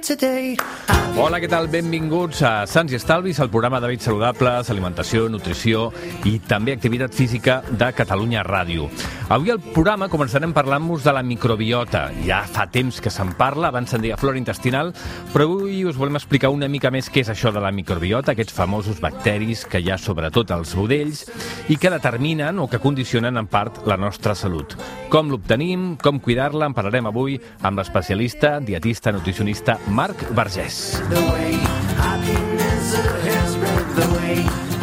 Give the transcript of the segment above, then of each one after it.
Hola, què tal? Benvinguts a Sants i Estalvis, el programa d'hàbits saludables, alimentació, nutrició i també activitat física de Catalunya Ràdio. Avui al programa començarem parlant-vos de la microbiota. Ja fa temps que se'n parla, abans se'n deia flora intestinal, però avui us volem explicar una mica més què és això de la microbiota, aquests famosos bacteris que hi ha sobretot als budells i que determinen o que condicionen en part la nostra salut. Com l'obtenim, com cuidar-la, en parlarem avui amb l'especialista, dietista, nutricionista Marc Vergés.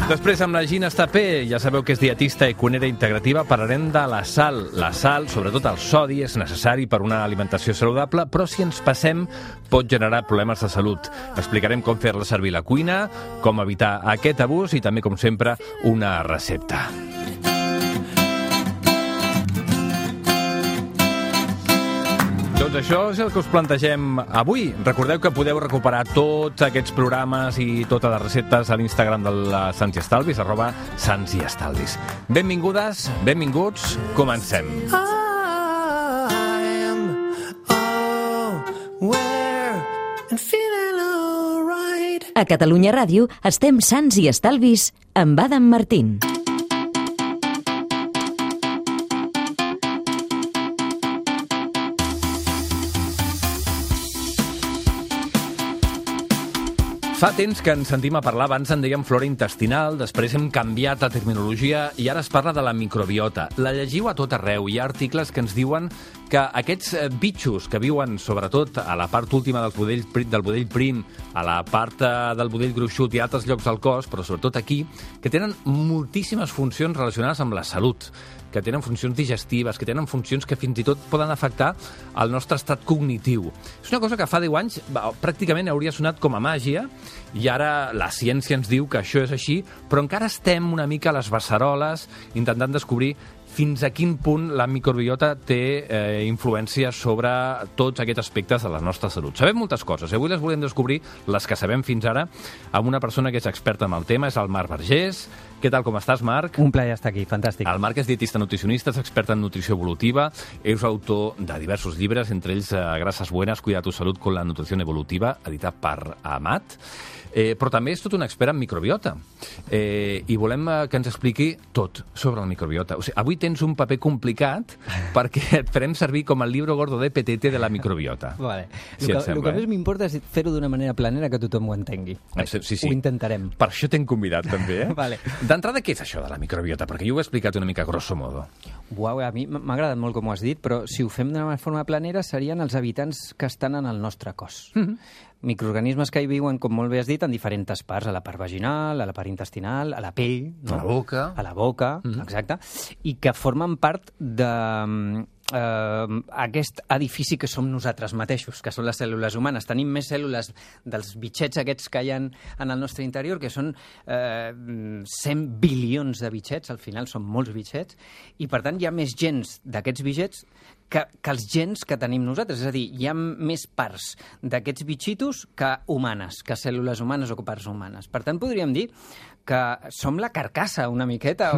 Després, amb la Gina Estapé, ja sabeu que és dietista i cuinera integrativa, parlarem de la sal. La sal, sobretot el sodi, és necessari per una alimentació saludable, però si ens passem pot generar problemes de salut. Explicarem com fer-la servir a la cuina, com evitar aquest abús i també, com sempre, una recepta. Doncs això és el que us plantegem avui. Recordeu que podeu recuperar tots aquests programes i totes les receptes a l'Instagram de la Sants i Estalvis, @santsiestalvis. Benvingudes, benvinguts, comencem. A Catalunya Ràdio estem Sants i Estalvis amb Adam Martín. Fa temps que ens sentim a parlar, abans en dèiem flora intestinal, després hem canviat la terminologia i ara es parla de la microbiota. La llegiu a tot arreu, hi ha articles que ens diuen que aquests bitxos que viuen sobretot a la part última del budell prim, a la part del budell gruixut i altres llocs del cos, però sobretot aquí, que tenen moltíssimes funcions relacionades amb la salut, que tenen funcions digestives, que tenen funcions que fins i tot poden afectar el nostre estat cognitiu. És una cosa que fa 10 anys pràcticament hauria sonat com a màgia i ara la ciència ens diu que això és així, però encara estem una mica a les beceroles intentant descobrir fins a quin punt la microbiota té influència sobre tots aquests aspectes de la nostra salut. Sabem moltes coses, avui les volem descobrir, les que sabem fins ara, amb una persona que és experta en el tema, és el Marc Vergés. Què tal, com estàs, Marc? Un plaer estar aquí, fantàstic. El Marc és dietista nutricionista, és expert en nutrició evolutiva, és autor de diversos llibres, entre ells Grasas Buenas, Cuida tu Salud con la Nutrición Evolutiva, editat per Amat. Però també és tot un expert en microbiota i volem que ens expliqui tot sobre la microbiota. O sigui, avui tens un paper complicat perquè et farem servir com el libro gordo de petete de la microbiota. Vale. Si el que més m'importa és fer-ho d'una manera planera que tothom ho entengui. Sí. Ho intentarem. Per això t'hem convidat també, Vale. D'entrada, què és això de la microbiota? Perquè jo ho he explicat una mica grosso modo. Uau, a mi m'ha agradat molt com ho has dit, però si ho fem d'una forma planera serien els habitants que estan en el nostre cos. Microorganismes que hi viuen, com molt bé has dit, en diferents parts, a la part vaginal, a la part intestinal, a la pell, no? A la boca. Exacte, i que formen part de aquest edifici que som nosaltres mateixos, que són les cèl·lules humanes. Tenim més cèl·lules dels bitxets aquests que hi ha en el nostre interior, que són 100 bilions de bitxets, al final són molts bitxets, i per tant hi ha més gens d'aquests bitxets que els gens que tenim nosaltres. És a dir, hi ha més parts d'aquests bitxitos que humanes, que cèl·lules humanes o que parts humanes. Per tant, podríem dir que som la carcassa una miqueta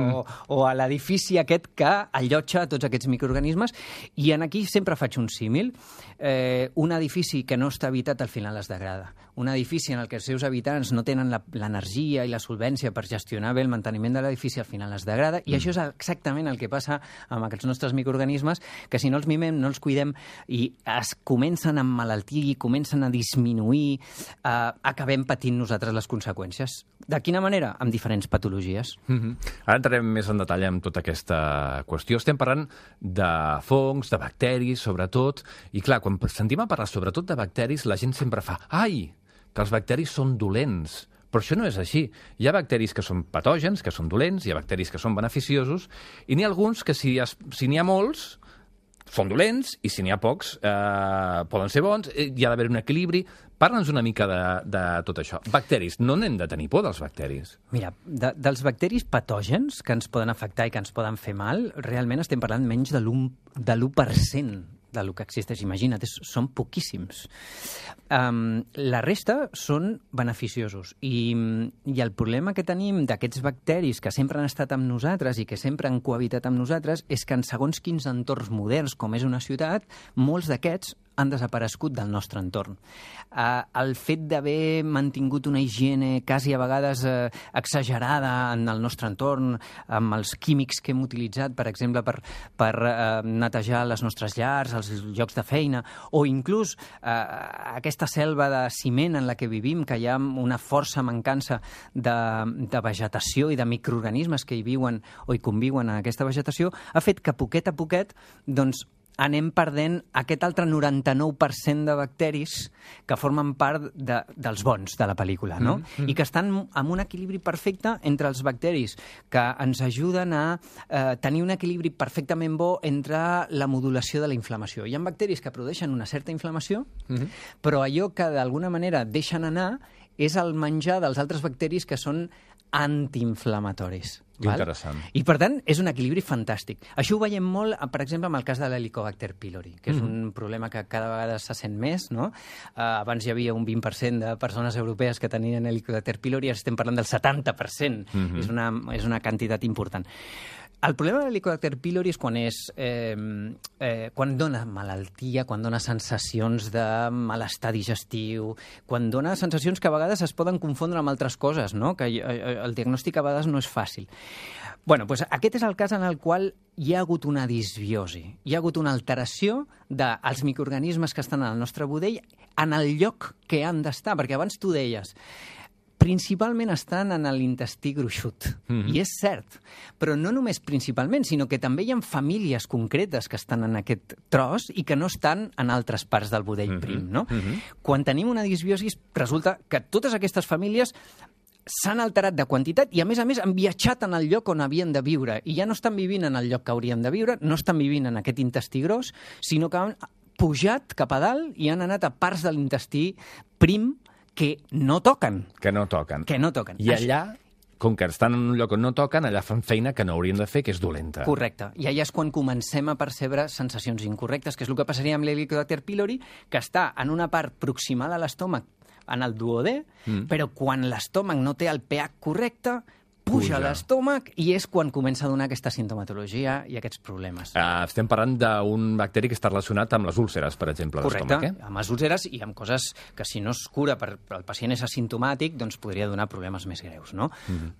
o a l'edifici aquest que allotja tots aquests microorganismes, i en aquí sempre faig un símil. Un edifici que no està habitat al final es degrada. Un edifici en el que els seus habitants no tenen l'energia i la solvència per gestionar bé el manteniment de l'edifici al final es degrada, i això és exactament el que passa amb aquests nostres microorganismes, que si no els mimem, no els cuidem i es comencen a emmalaltir, comencen a disminuir, acabem patint nosaltres les conseqüències. De quina manera? Amb diferents patologies. Ara entrarem més en detall amb tota aquesta qüestió. Estem parlant de fongs, de bacteris, sobretot, i clar, quan sentim a parlar sobretot de bacteris, la gent sempre fa «Ai, que els bacteris són dolents». Però això no és així. Hi ha bacteris que són patògens, que són dolents, hi ha bacteris que són beneficiosos, i n'hi ha alguns que si n'hi ha molts són dolents, i si n'hi ha pocs poden ser bons, hi ha d'haver un equilibri. Parla'ns una mica de tot això. Bacteris, no n'hem de tenir por dels bacteris. Mira, dels bacteris patògens que ens poden afectar i que ens poden fer mal, realment estem parlant menys de l'1% del que existeix. Imagina't, són poquíssims. La resta són beneficiosos. I el problema que tenim d'aquests bacteris que sempre han estat amb nosaltres i que sempre han cohabitat amb nosaltres és que en segons quins entorns moderns, com és una ciutat, molts d'aquests han desaparegut del nostre entorn. El fet d'haver mantingut una higiene quasi a vegades exagerada en el nostre entorn, amb els químics que hem utilitzat, per exemple, per netejar les nostres llars, els llocs de feina, o inclús aquesta selva de ciment en la que vivim, que hi ha una força mancança de vegetació i de microorganismes que hi viuen o hi conviuen en aquesta vegetació, ha fet que poquet a poquet doncs, anem perdent aquest altre 99% de bacteris que formen part dels bons de la pel·lícula, no? I que estan en un equilibri perfecte entre els bacteris que ens ajuden a tenir un equilibri perfectament bo entre la modulació de la inflamació. Hi ha bacteris que produeixen una certa inflamació, però allò que d'alguna manera deixen anar és el menjar dels altres bacteris que són antiinflamatoris. Interessant. I, per tant, és un equilibri fantàstic. Això ho veiem molt, per exemple, amb el cas de l'Helicobacter pylori, que és un problema que cada vegada se sent més, no? Abans hi havia un 20% de persones europees que tenien Helicobacter pylori, ara estem parlant del 70%. És una quantitat important. El problema de l'Helicobacter pylori és quan dona malaltia, quan dona sensacions de malestar digestiu, quan dona sensacions que a vegades es poden confondre amb altres coses, no? Que el diagnòstic a vegades no és fàcil. Bueno, doncs aquest és el cas en el qual hi ha hagut una disbiosi, hi ha hagut una alteració dels microorganismes que estan al nostre budell en el lloc que han d'estar, perquè abans tu deies principalment estan en l'intestí gruixut. I és cert, però no només principalment, sinó que també hi ha famílies concretes que estan en aquest tros i que no estan en altres parts del budell prim, no? Quan tenim una disbiosi, resulta que totes aquestes famílies s'han alterat de quantitat i, a més, han viatjat en el lloc on havien de viure i ja no estan vivint en el lloc que haurien de viure, no estan vivint en aquest intestí gros, sinó que han pujat cap a dalt i han anat a parts de l'intestí prim que no toquen. Que no toquen. I allà, com que estan en un lloc on no toquen, allà fan feina que no haurien de fer, que és dolenta. Correcte. I allà és quan comencem a percebre sensacions incorrectes, que és el que passaria amb l'Helicobacter pylori, que està en una part proximal a l'estómac, en el duodè, però quan l'estómac no té el pH correcte, puja a l'estómac i és quan comença a donar aquesta sintomatologia i aquests problemes. Estem parlant d'un bacteri que està relacionat amb les úlceres, per exemple, correcte, l'estómac, amb les úlceres i amb coses que si no es cura per el pacient és asimptomàtic, doncs podria donar problemes més greus, no?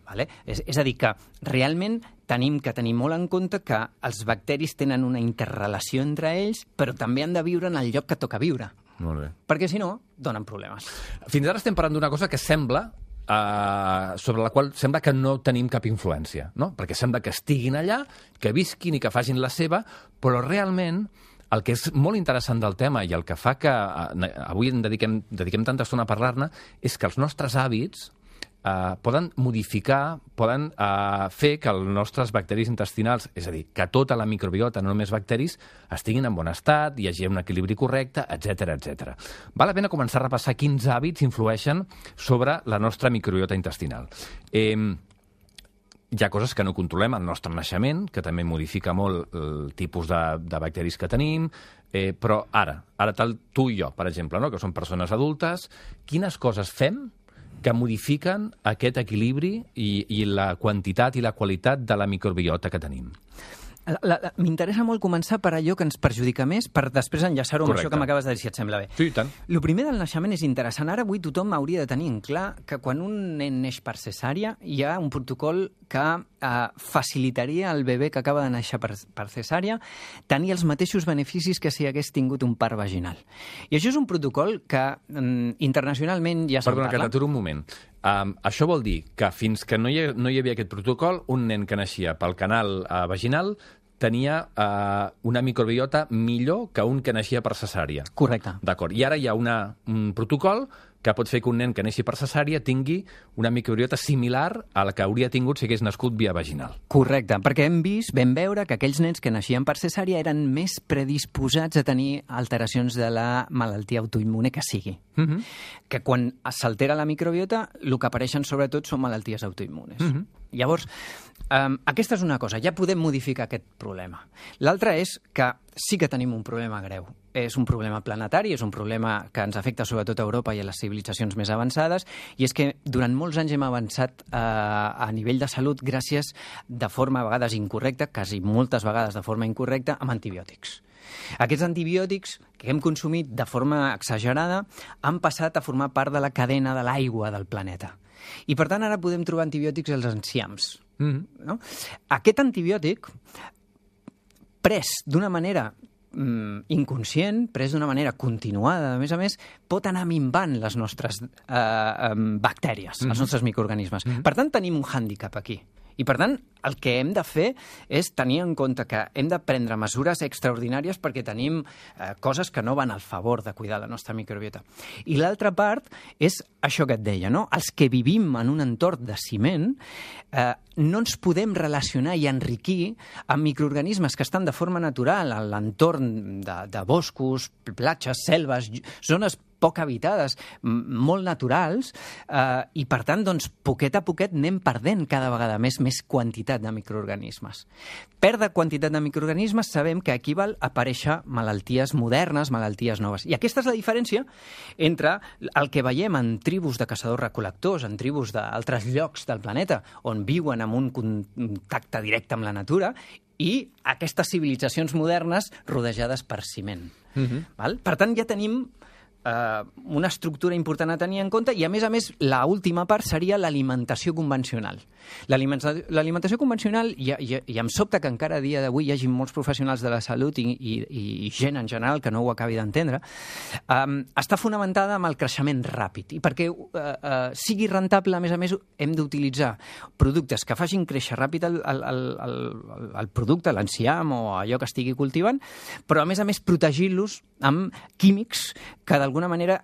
Vale? És a dir, que realment tenim que tenir molt en compte que els bacteris tenen una interrelació entre ells, però també han de viure en el lloc que toca viure. Molt bé. Perquè si no, donen problemes. Fins ara estem parlant d'una cosa que sembla sobre la qual sembla que no tenim cap influència, no? Perquè sembla que estiguin allà, que visquin i que facin la seva, però realment el que és molt interessant del tema i el que fa que avui dediquem tanta estona a parlar-ne és que els nostres hàbits poden modificar, poden fer que els nostres bacteris intestinals, és a dir, que tota la microbiota, no només bacteris, estiguin en bon estat, hi hagi un equilibri correcte, etc etc. Val la pena començar a repassar quins hàbits influeixen sobre la nostra microbiota intestinal. Hi ha coses que no controlem, el nostre naixement, que també modifica molt el tipus de bacteris que tenim, però ara tu i jo, per exemple, no? Que som persones adultes, quines coses fem que modifiquen aquest equilibri i la quantitat i la qualitat de la microbiota que tenim? M'interessa molt començar per allò que ens perjudica més, per després enllaçar-ho amb això que m'acabes de dir, si et sembla bé. Sí, i tant. El primer del naixement és interessant. Ara avui tothom hauria de tenir en clar que quan un nen neix per cesària hi ha un protocol que facilitaria al bebè que acaba de néixer per cesària tenir els mateixos beneficis que si hagués tingut un part vaginal. I això és un protocol que internacionalment ja se'n parla. Perdona, que t'aturo un moment. Això vol dir que fins que no hi havia aquest protocol, un nen que naixia pel canal vaginal tenia una microbiota millor que un que naixia per cesària. Correcte. D'acord. I ara hi ha un protocol que pot fer que un nen que neixi per cesària tingui una microbiota similar a la que hauria tingut si hagués nascut via vaginal. Correcte, perquè vam veure que aquells nens que naixien per cesària eren més predisposats a tenir alteracions de la malaltia autoimmune que sigui. Que quan s'altera la microbiota, el que apareixen sobretot són malalties autoimmunes. Llavors, aquesta és una cosa, ja podem modificar aquest problema. L'altra és que sí que tenim un problema greu. És un problema planetari, és un problema que ens afecta sobretot a Europa i a les civilitzacions més avançades, i és que durant molts anys hem avançat a nivell de salut gràcies de forma a vegades incorrecta, quasi moltes vegades de forma incorrecta, amb antibiòtics. Aquests antibiòtics que hem consumit de forma exagerada han passat a formar part de la cadena de l'aigua del planeta. I, per tant, ara podem trobar antibiòtics als enciams. No? Aquest antibiòtic, pres d'una manera inconscient, pres d'una manera continuada, a més, pot anar minvant les nostres bactèries, els nostres microorganismes. Per tant, tenim un hàndicap aquí. I, per tant, el que hem de fer és tenir en compte que hem de prendre mesures extraordinàries perquè tenim coses que no van al favor de cuidar la nostra microbiota. I l'altra part és això que et deia, no? Els que vivim en un entorn de ciment no ens podem relacionar i enriquir amb microorganismes que estan de forma natural a l'entorn de boscos, platges, selves, zones poc habitades, molt naturals, i per tant, doncs, poquet a poquet anem perdent cada vegada més quantitat de microorganismes. Perdre quantitat de microorganismes sabem que equival a aparèixer malalties modernes, malalties noves. I aquesta és la diferència entre el que veiem en tribus de caçadors-recol·lectors, en tribus d'altres llocs del planeta, on viuen amb un contacte directe amb la natura, i aquestes civilitzacions modernes rodejades per ciment. Per tant, ja tenim una estructura important a tenir en compte i, a més, l'última part seria l'alimentació convencional. L'alimentació convencional, i em sobta que encara a dia d'avui hi hagi molts professionals de la salut i gent en general que no ho acabi d'entendre, està fonamentada en el creixement ràpid. I perquè sigui rentable, a més, hem d'utilitzar productes que facin créixer ràpid el producte, l'enciam o allò que estigui cultivant, però, a més, protegir-los amb químics que d'alguna manera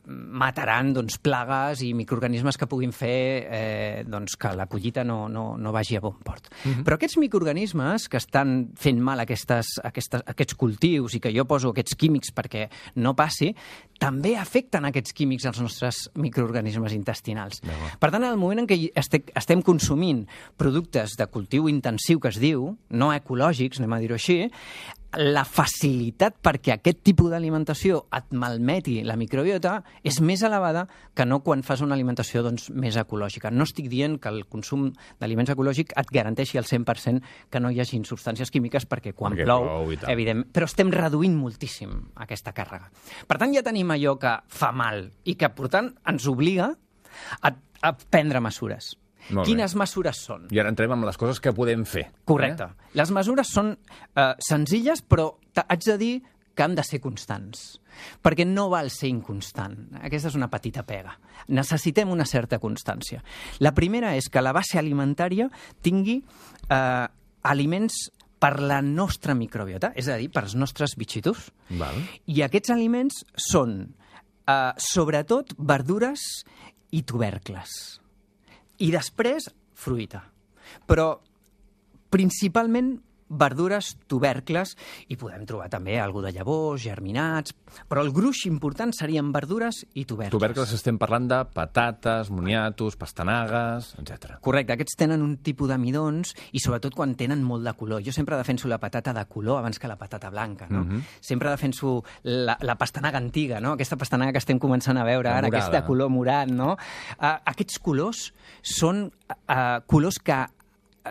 mataran plagues i microorganismes que puguin fer que la collita no vagi a bon port. Però aquests microorganismes que estan fent mal aquests cultius i que jo poso aquests químics perquè no passi, també afecten aquests químics als nostres microorganismes intestinals. Per tant, en el moment en què estem consumint productes de cultiu intensiu, que es diu, no ecològics, anem a dir-ho així, la facilitat perquè aquest tipus d'alimentació et malmeti la microbiota és més elevada que no quan fas una alimentació més ecològica. No estic dient que el consum d'aliments ecològics et garanteixi al 100% que no hi hagi substàncies químiques perquè quan plou, evidentment, però estem reduint moltíssim aquesta càrrega. Per tant, ja tenim allò que fa mal i que, per tant, ens obliga a prendre mesures. Quines mesures són? I ara entrem amb les coses que podem fer. Correcte. Les mesures són senzilles, però haig de dir que han de ser constants, perquè no val ser inconstant. Aquesta és una petita pega. Necessitem una certa constància. La primera és que la base alimentària tingui aliments per la nostra microbiota, és a dir, per els nostres bitxitos. I aquests aliments són, sobretot, verdures i tubercles. I després, fruita. Però, principalment, verdures, tubercles, i podem trobar també alguna de llavors, germinats, però el gruix important serien verdures i tubercles. Tubercles estem parlant de patates, moniatos, pastanagues, etc. Correcte, aquests tenen un tipus de midons i sobretot quan tenen molt de color. Jo sempre defenso la patata de color abans que la patata blanca, no? Sempre defenso la pastanaga antiga, no? Aquesta pastanaga que estem començant a veure ara, aquesta de color morat, no? Aquests colors són colors que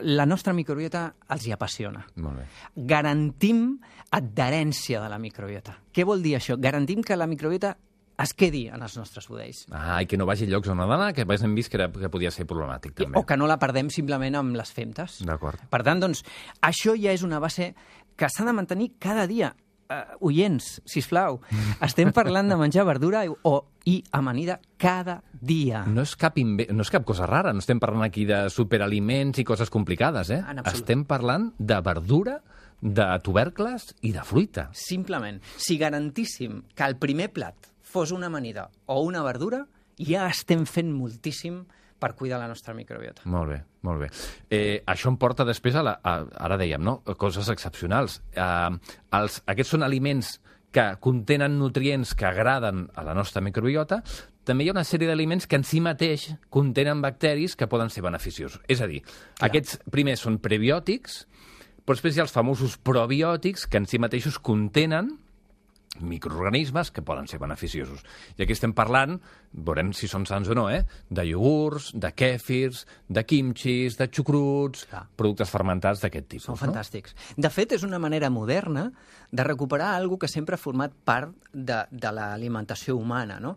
la nostra microbiota els hi apassiona. Molt bé. Garantim adherència de la microbiota. Què vol dir això? Garantim que la microbiota es quedi en els nostres budells. I que no vagi a llocs on ha d'anar, que hem vist que podia ser problemàtic, també. O que no la perdem simplement amb les femtes. D'acord. Per tant, doncs, això ja és una base que s'ha de mantenir cada dia. Oients, sisplau, estem parlant de menjar verdura i amanida cada dia. No és cap cosa rara, no estem parlant aquí de superaliments i coses complicades, eh? Estem parlant de verdura, de tubercles i de fruita. Simplement, si garantíssim que el primer plat fos una amanida o una verdura, ja estem fent moltíssim per cuidar la nostra microbiota. Molt bé, molt bé. Això em porta després ara dèiem, no? Coses excepcionals. Aquests són aliments que contenen nutrients que agraden a la nostra microbiota. També hi ha una sèrie d'aliments que en si mateix contenen bacteris que poden ser beneficiosos. És a dir, aquests primers són prebiòtics, Però després hi ha els famosos probiòtics, que en si mateixos contenen microorganismes que poden ser beneficiosos. I aquí estem parlant, veurem si són sants o no, de iogurts, de kèfirs, de kimchis, de xucruts, productes fermentats d'aquest tipus. Són fantàstics. De fet, és una manera moderna de recuperar alguna que sempre ha format part de l'alimentació humana. No?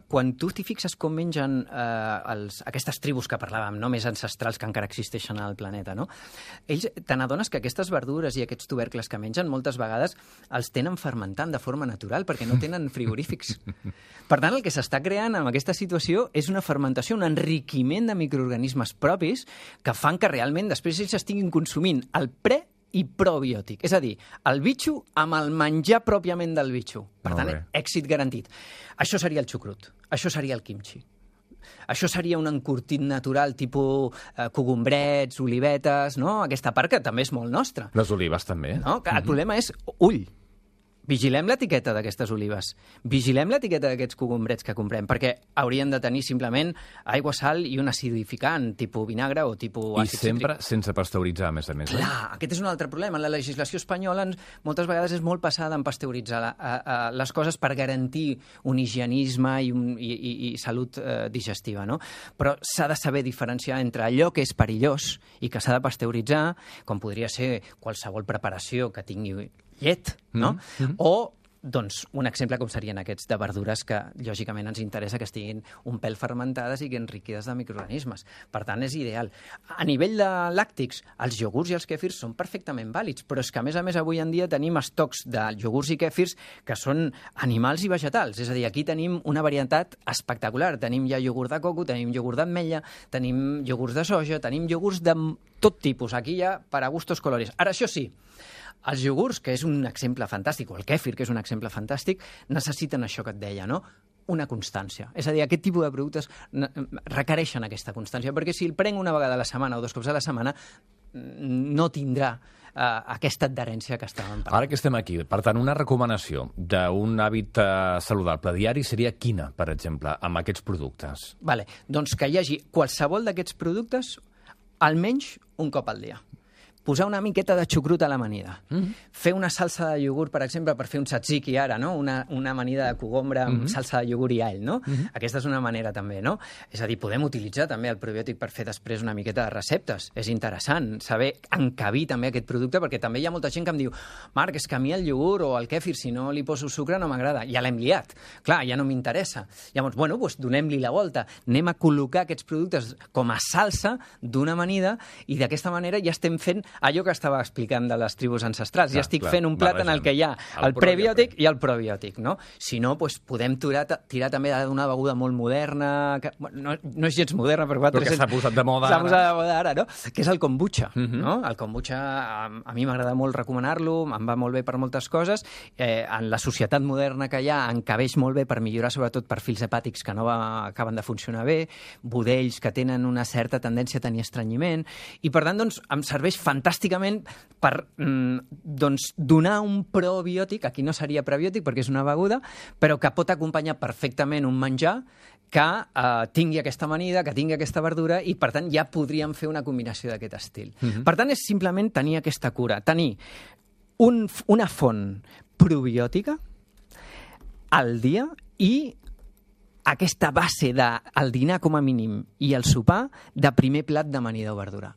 Quan tu t'hi fixes com mengen aquestes tribus que parlàvem, no més ancestrals que encara existeixen al planeta, no? Ells te n'adones que aquestes verdures i aquests tubercles que mengen moltes vegades els tenen fermentant de forma natural perquè no tenen frigorífics. Per tant, el que s'està creant amb aquesta situació és una fermentació, un enriquiment de microorganismes propis que fan que realment després ells estiguin consumint el pre i probiòtic. És a dir, el bitxo amb el menjar pròpiament del bitxo. Per tant, èxit garantit. Això seria el xucrut. Això seria el kimchi. Això seria un encurtit natural tipus cogombrets, olivetes, no? Aquesta part que també és molt nostra. Les olives també. No? El problema és ull. Vigilem l'etiqueta d'aquestes olives, vigilem l'etiqueta d'aquests cogombrets que comprem, perquè haurien de tenir simplement aigua, sal i un acidificant, tipus vinagre o tipus àcid cítric. I sempre sense pasteuritzar, a més a més. Clar, aquest és un altre problema. La legislació espanyola moltes vegades és molt passada en pasteuritzar les coses per garantir un higienisme i salut digestiva, no? Però s'ha de saber diferenciar entre allò que és perillós i que s'ha de pasteuritzar, com podria ser qualsevol preparació que tingui llet, no? O, doncs, un exemple com serien aquests de verdures que, lògicament, ens interessa que estiguin un pèl fermentades i que enriquides de microorganismes. Per tant, és ideal. A nivell de làctics, els iogurts i els kèfirs són perfectament vàlids, però és que, a més, avui en dia tenim estocs de iogurts i kèfirs que són animals i vegetals. És a dir, aquí tenim una varietat espectacular. Tenim ja iogurt de coco, tenim iogurt d'ametlla, tenim iogurts de soja, tenim iogurts de tot tipus. Aquí hi ha per a gustos colores. Ara, això sí, els iogurts, que és un exemple fantàstic, o el kèfir, que és un exemple fantàstic, necessiten això que et deia, no? Una constància. És a dir, aquest tipus de productes requereixen aquesta constància, perquè si el prenc una vegada a la setmana o 2 cops a la setmana, no tindrà aquesta adherència que estàvem parlant. Ara que estem aquí, per tant, una recomanació d'un hàbit saludable diari seria quina, per exemple, amb aquests productes? Vale. Doncs que hi hagi qualsevol d'aquests productes almenys un cop al dia. Posar una miqueta de xucrut a l'amanida. Fer una salsa de iogurt, per exemple, per fer un tzatziki ara, no? Una amanida de cogombre amb salsa de iogurt i all, no? Aquesta és una manera també, no? És a dir, podem utilitzar també el probiòtic per fer després una miqueta de receptes. És interessant saber encabir també aquest producte, perquè també hi ha molta gent que em diu Marc, és que a mi el iogurt o el kèfir, si no li poso sucre, no m'agrada. Ja l'hem liat. Clar, ja no m'interessa. Llavors, bueno, doncs donem-li la volta. Anem a col·locar aquests productes com a salsa d'una amanida i d'aquesta manera ja estem fent allò que estava explicant de les tribus ancestrals. Ja estic fent un plat en el que hi ha el prebiòtic i el probiòtic, no? Si no, doncs podem tirar també d'una beguda molt moderna, que no és gens moderna, però que s'ha posat de moda ara. S'ha posat de moda ara, no? Que és el kombucha, no? El kombucha, a mi m'agrada molt recomanar-lo, em va molt bé per moltes coses. En la societat moderna que hi ha, encabeix molt bé per millorar sobretot perfils hepàtics que no acaben de funcionar bé, budells que tenen una certa tendència a tenir estrenyiment, i per tant, doncs, em serveix fantàsticament per donar un probiòtic, aquí no seria prebiòtic perquè és una beguda, però que pot acompanyar perfectament un menjar que tingui aquesta amanida, que tingui aquesta verdura, i per tant ja podríem fer una combinació d'aquest estil. Per tant, és simplement tenir aquesta cura, tenir una font probiòtica al dia i aquesta base del dinar com a mínim i el sopar de primer plat d'amanida o verdura.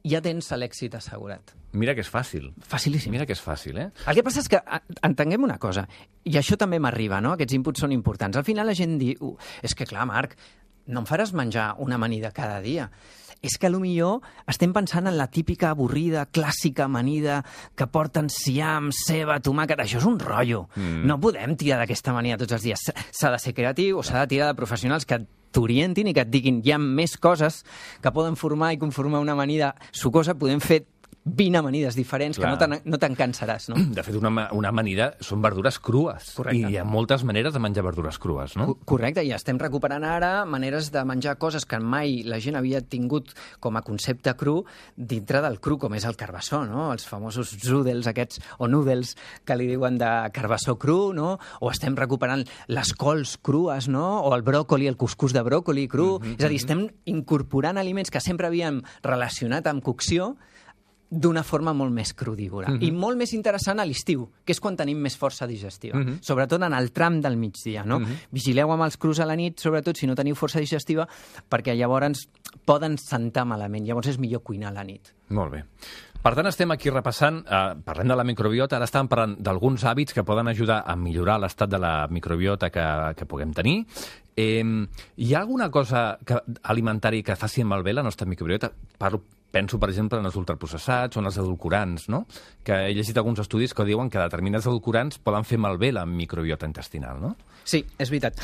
Ja tens l'èxit assegurat. Mira que és fàcil. Facilíssim. Mira que és fàcil, eh? El que passa és que entenguem una cosa, i això també m'arriba, no? Aquests inputs són importants. Al final la gent diu, és que clar, Marc, no em faràs menjar una amanida cada dia. És que potser estem pensant en la típica avorrida, clàssica amanida que porten ciam, ceba, tomàquet. Això és un rotllo. No podem tirar d'aquesta amanida tots els dies. S'ha de ser creatiu o s'ha de tirar de professionals que t'orientin i que et diguin hi ha més coses que poden formar i conformar una amanida sucosa. Podem fer 20 amanides diferents. Clar. Que no te'n cansaràs, no? De fet, una amanida són verdures crues. Correcte. I hi ha moltes maneres de menjar verdures crues, no? Correcte, i estem recuperant ara maneres de menjar coses que mai la gent havia tingut com a concepte cru dintre del cru, com és el carbassó, no? Els famosos zúdels aquests, o noodles, que li diuen de carbassó cru, no? O estem recuperant les cols crues, no? O el bròcoli, el cuscús de bròcoli cru. És a dir, estem incorporant aliments que sempre havíem relacionat amb cocció d'una forma molt més crudívora. I molt més interessant a l'estiu, que és quan tenim més força digestiva. Sobretot en el tram del migdia, no? Vigileu amb els crus a la nit, sobretot si no teniu força digestiva, perquè llavors poden sentar malament. Llavors és millor cuinar a la nit. Molt bé. Per tant, estem aquí repassant, parlem de la microbiota, ara estàvem parlant d'alguns hàbits que poden ajudar a millorar l'estat de la microbiota que puguem tenir. Hi ha alguna cosa alimentària que faci malbé la nostra microbiota? Penso, per exemple, en els ultraprocessats o en els edulcorants, no? Que he llegit alguns estudis que diuen que determinats edulcorants poden fer malbé la microbiota intestinal, no? Sí, és veritat.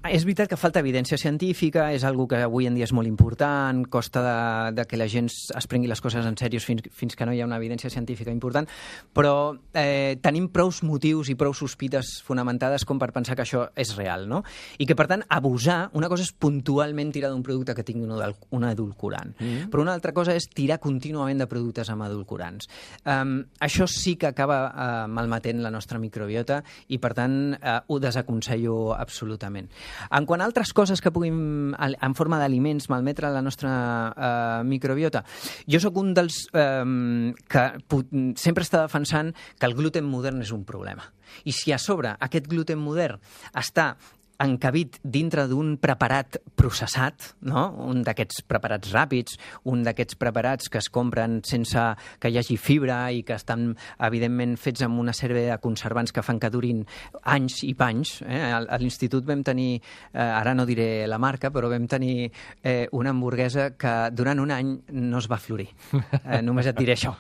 És veritat que falta evidència científica, és algo que avui en dia és molt important, costa de que la gent es prengui les coses en sèrio fins que no hi ha una evidència científica important, però tenim prou motius i prou sospites fonamentades com per pensar que això és real, no? I que, per tant, abusar, una cosa és puntualment tirar d'un producte que tingui un edulcorant, però una altra cosa és tirar contínuament de productes amb edulcorants. Això sí que acaba malmetent la nostra microbiota i, per tant, ho desaconsello absolutament. En quant a altres coses que puguin, en forma d'aliments, malmetre la nostra microbiota, jo sóc un dels que sempre està defensant que el gluten modern és un problema. I si a sobre aquest gluten modern està encabit dintre d'un preparat processat, no? Un d'aquests preparats ràpids, un d'aquests preparats que es compren sense que hi hagi fibra i que estan, evidentment, fets amb una sèrie de conservants que fan que durin anys i panys. A l'institut vam tenir, ara no diré la marca, però vam tenir una hamburguesa que durant un any no es va florir. Només et diré això.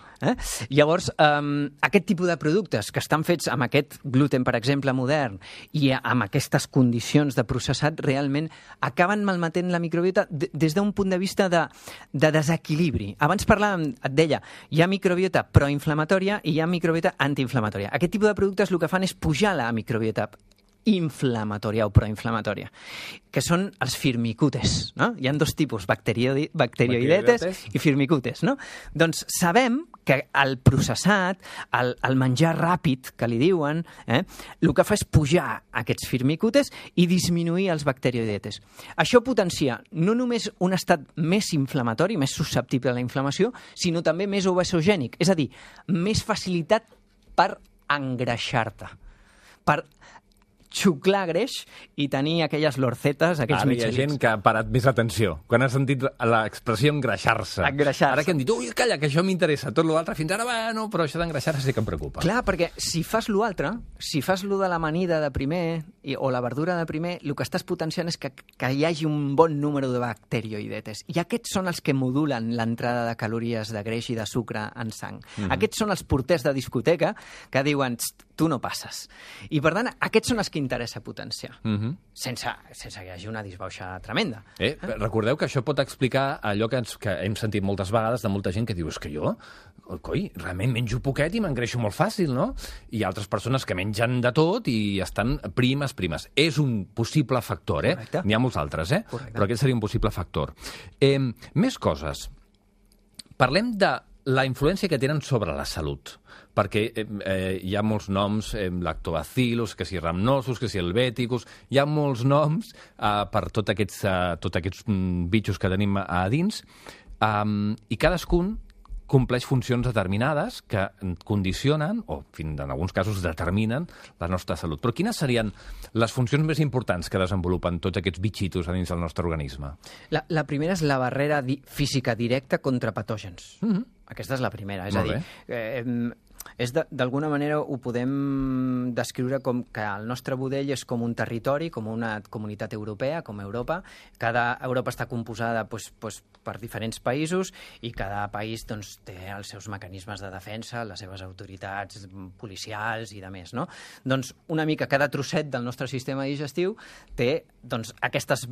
Llavors, aquest tipus de productes que estan fets amb aquest gluten, per exemple, modern, i amb aquestes condicions de processat, realment acaben malmetent la microbiota des d'un punt de vista de desequilibri. Abans parlàvem, et deia, hi ha microbiota proinflamatòria i hi ha microbiota antiinflamatòria. Aquest tipus de productes el que fan és pujar la microbiota inflamatòria o proinflamatòria, que són els firmicutes, no? Hi ha dos tipus, bacterioidetes i firmicutes, no? Doncs sabem que el processat, el menjar ràpid, que li diuen, el que fa és pujar aquests firmicutes i disminuir els bacterioidetes. Això potencia no només un estat més inflamatori, més susceptible a la inflamació, sinó també més obesogènic, és a dir, més facilitat per engreixar-te, per xuclar greix i tenir aquelles lorcetes, aquells mitjans. Ara hi ha gent que ha parat més atenció quan ha sentit l'expressió engreixar-se. Ara que han dit, ui, calla, que això m'interessa, tot l'altre fins ara, bueno, però això d'engreixar-se sí que em preocupa. Clar, perquè si fas l'altre, si fas lo de l'amanida de primer o la verdura de primer, el que estàs potenciant és que hi hagi un bon número de bacterioidetes. I aquests són els que modulen l'entrada de calories, de greix i de sucre en sang. Aquests són els porters de discoteca que diuen, tu no passes. I, per tant, aquests són els que interessa potenciar, sense que hi hagi una disbauxa tremenda. Recordeu que això pot explicar allò que hem sentit moltes vegades de molta gent que diu, és que jo, coi, realment menjo poquet i m'engreixo molt fàcil, no? I altres persones que mengen de tot i estan primes. És un possible factor, N'hi ha molts altres, però aquest seria un possible factor. Més coses. Parlem de la influència que tenen sobre la salut, perquè hi ha molts noms, lactobacillus, que si rhamnosus, que si helveticus, hi ha molts noms per tots aquests bitxos que tenim a dins, i cadascun compleix funcions determinades que condicionen, o en alguns casos determinen, la nostra salut. Però quines serien les funcions més importants que desenvolupen tots aquests bitxitos a dins del nostre organisme? La primera és la barrera física directa contra patògens. Aquesta és la primera. És a dir, d'alguna manera ho podem descriure com que el nostre budell és com un territori, com una comunitat europea, com Europa. Europa està composada per diferents països i cada país té els seus mecanismes de defensa, les seves autoritats policials i de més, no? Doncs una mica cada trosset del nostre sistema digestiu té aquestes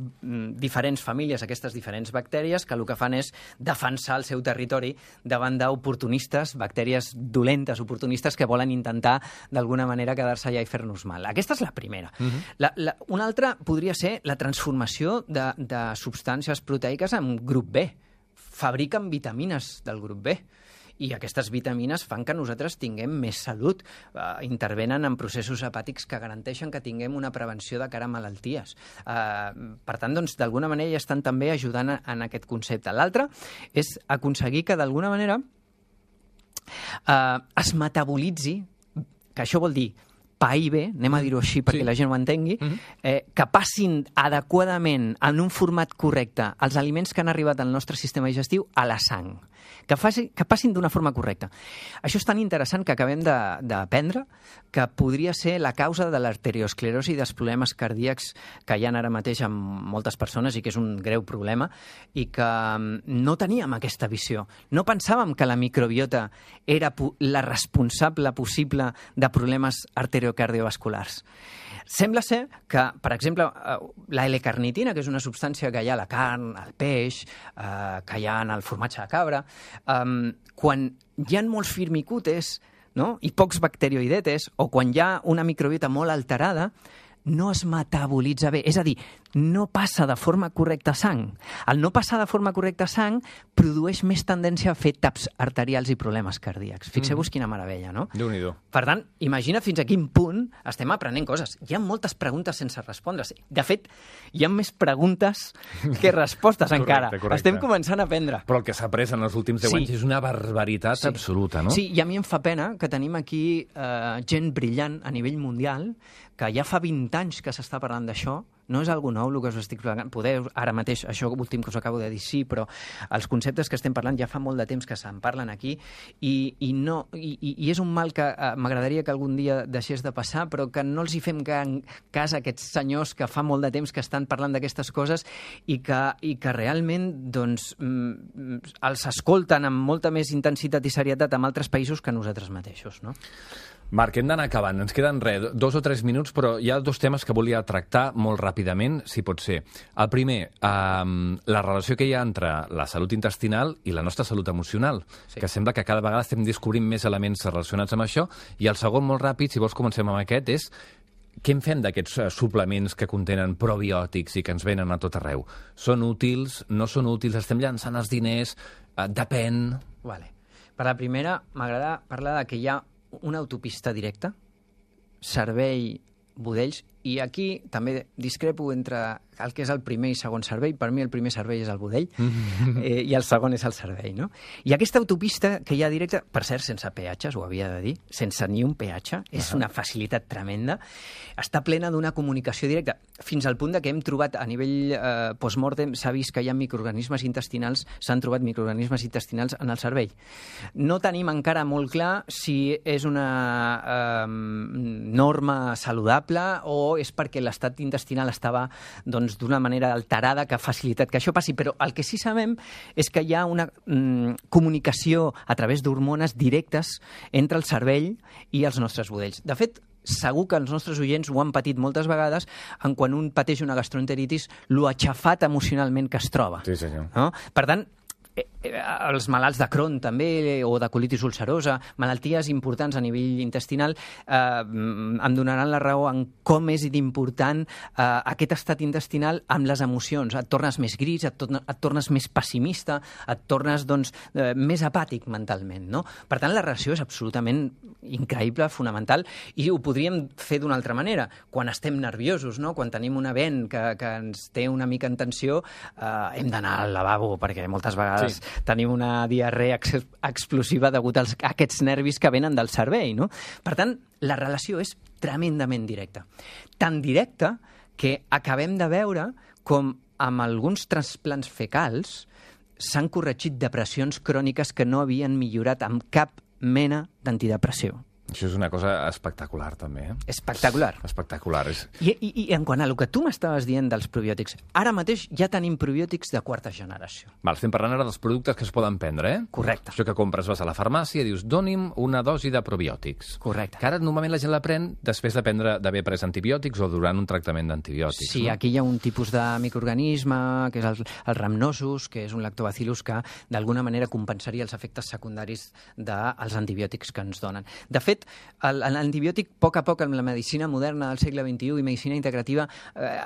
diferents famílies, aquestes diferents bactèries que el que fan és defensar el seu territori davant d'oportunistes, bactèries dolentes, oportunistes que volen intentar d'alguna manera quedar-se allà i fer-nos mal. Aquesta és la primera. Una altra podria ser la transformació de substàncies proteiques en grup B. Fabriquen vitamines del grup B. I aquestes vitamines fan que nosaltres tinguem més salut, intervenen en processos hepàtics que garanteixen que tinguem una prevenció de cara a malalties. Per tant, d'alguna manera ja estan també ajudant en aquest concepte. L'altre és aconseguir que d'alguna manera es metabolitzi, que això vol dir pair bé, anem a dir-ho així perquè la gent ho entengui, que passin adequadament en un format correcte els aliments que han arribat al nostre sistema digestiu a la sang, que passin d'una forma correcta. Això és tan interessant que acabem d'aprendre que podria ser la causa de l'arteriosclerosi i dels problemes cardíacs que hi ha ara mateix amb moltes persones i que és un greu problema i que no teníem aquesta visió. No pensàvem que la microbiota era la responsable possible de problemes arteriocardiovasculars. Sembla ser que, per exemple, la L-carnitina, que és una substància que hi ha a la carn, al peix, que hi ha en el formatge de cabra, quan hi ha molts firmicutes, no? I pocs bacterioidetes, o quan hi ha una microbiota molt alterada, no es metabolitza bé. És a dir, no passa de forma correcta a sang. El no passar de forma correcta a sang produeix més tendència a fer taps arterials i problemes cardíacs. Fixeu-vos quina meravella, no? Déu-n'hi-do. Per tant, imagina fins a quin punt estem aprenent coses. Hi ha moltes preguntes sense respondre. De fet, hi ha més preguntes que respostes encara. Correcte. Estem començant a aprendre. Però el que s'ha après en els últims 10 anys és una barbaritat absoluta, no? Sí, i a mi em fa pena que tenim aquí gent brillant a nivell mundial, que ja fa 20 anys que s'està parlant d'això. No és algo nou el que us estic parlant. Poder, ara mateix, això últim que us acabo de dir, sí, però els conceptes que estem parlant ja fa molt de temps que se'n parlen aquí i és un mal que m'agradaria que algun dia deixés de passar, però que no els hi fem cas a aquests senyors que fa molt de temps que estan parlant d'aquestes coses i que realment doncs, els escolten amb molta més intensitat i serietat en altres països que nosaltres mateixos, no? Marc, hem d'anar acabant. Ens queden 2 o 3 minuts, però hi ha 2 temes que volia tractar molt ràpidament, si pot ser. El primer, la relació que hi ha entre la salut intestinal i la nostra salut emocional, que sembla que cada vegada estem descobrint més elements relacionats amb això. I el segon, molt ràpid, si vols comencem amb aquest, és què en fem d'aquests suplements que contenen probiòtics i que ens venen a tot arreu? Són útils? No són útils? Estem llançant els diners? Depèn? Vale. Per la primera, m'agrada parlar de que hi ha una autopista directa, servei-budells, i aquí també discrepo entre el que és el primer i segon servei. Per mi el primer servei és el budell i el segon és el servei, no? I aquesta autopista que hi ha directa, per cert, sense peatges, ho havia de dir, sense ni un peatge, és una facilitat tremenda, està plena d'una comunicació directa, fins al punt de que hem trobat a nivell post-mortem, s'ha vist que hi ha microorganismes intestinals, s'han trobat microorganismes intestinals en el cervell. No tenim encara molt clar si és una norma saludable o és perquè l'estat intestinal estava d'una manera alterada que ha facilitat que això passi, però el que sí sabem és que hi ha una comunicació a través d'hormones directes entre el cervell i els nostres budells. De fet, segur que els nostres oients ho han patit moltes vegades en quan un pateix una gastroenteritis, lo aixafat emocionalment que es troba. Sí, senyor. No? Per tant, els malalts de Crohn també, o de colitis ulcerosa, malalties importants a nivell intestinal, em donaran la raó en com és d'important aquest estat intestinal amb les emocions. Et tornes més gris, et tornes més pessimista, et tornes més apàtic mentalment, no? Per tant, la relació és absolutament increïble, fonamental, i ho podríem fer d'una altra manera. Quan estem nerviosos, no? Quan tenim una vent que ens té una mica en tensió, hem d'anar al lavabo, perquè moltes vegades tenim una diarrea explosiva degut a aquests nervis que venen del cervell, no? Per tant, la relació és tremendament directa. Tan directa que acabem de veure com amb alguns trasplants fecals s'han corregit depressions cròniques que no havien millorat amb cap mena d'antidepressiu. Això és una cosa espectacular, també. Espectacular. Espectacular. I en quant a el que tu m'estaves dient dels probiòtics, ara mateix ja tenim probiòtics de quarta generació. Estem parlant ara dels productes que es poden prendre, eh? Correcte. Això que compres, vas a la farmàcia i dius, doni'm una dosi de probiòtics. Correcte. Que ara normalment la gent la pren després d'haver pres antibiòtics o durant un tractament d'antibiòtics. Sí, no? Aquí hi ha un tipus de microorganisme, que és el rhamnosus, que és un lactobacillus que d'alguna manera compensaria els efectes secundaris dels antibiòtics que ens donen. De fet, fet, l'antibiòtic, a poc a poc, amb la medicina moderna del segle XXI i medicina integrativa,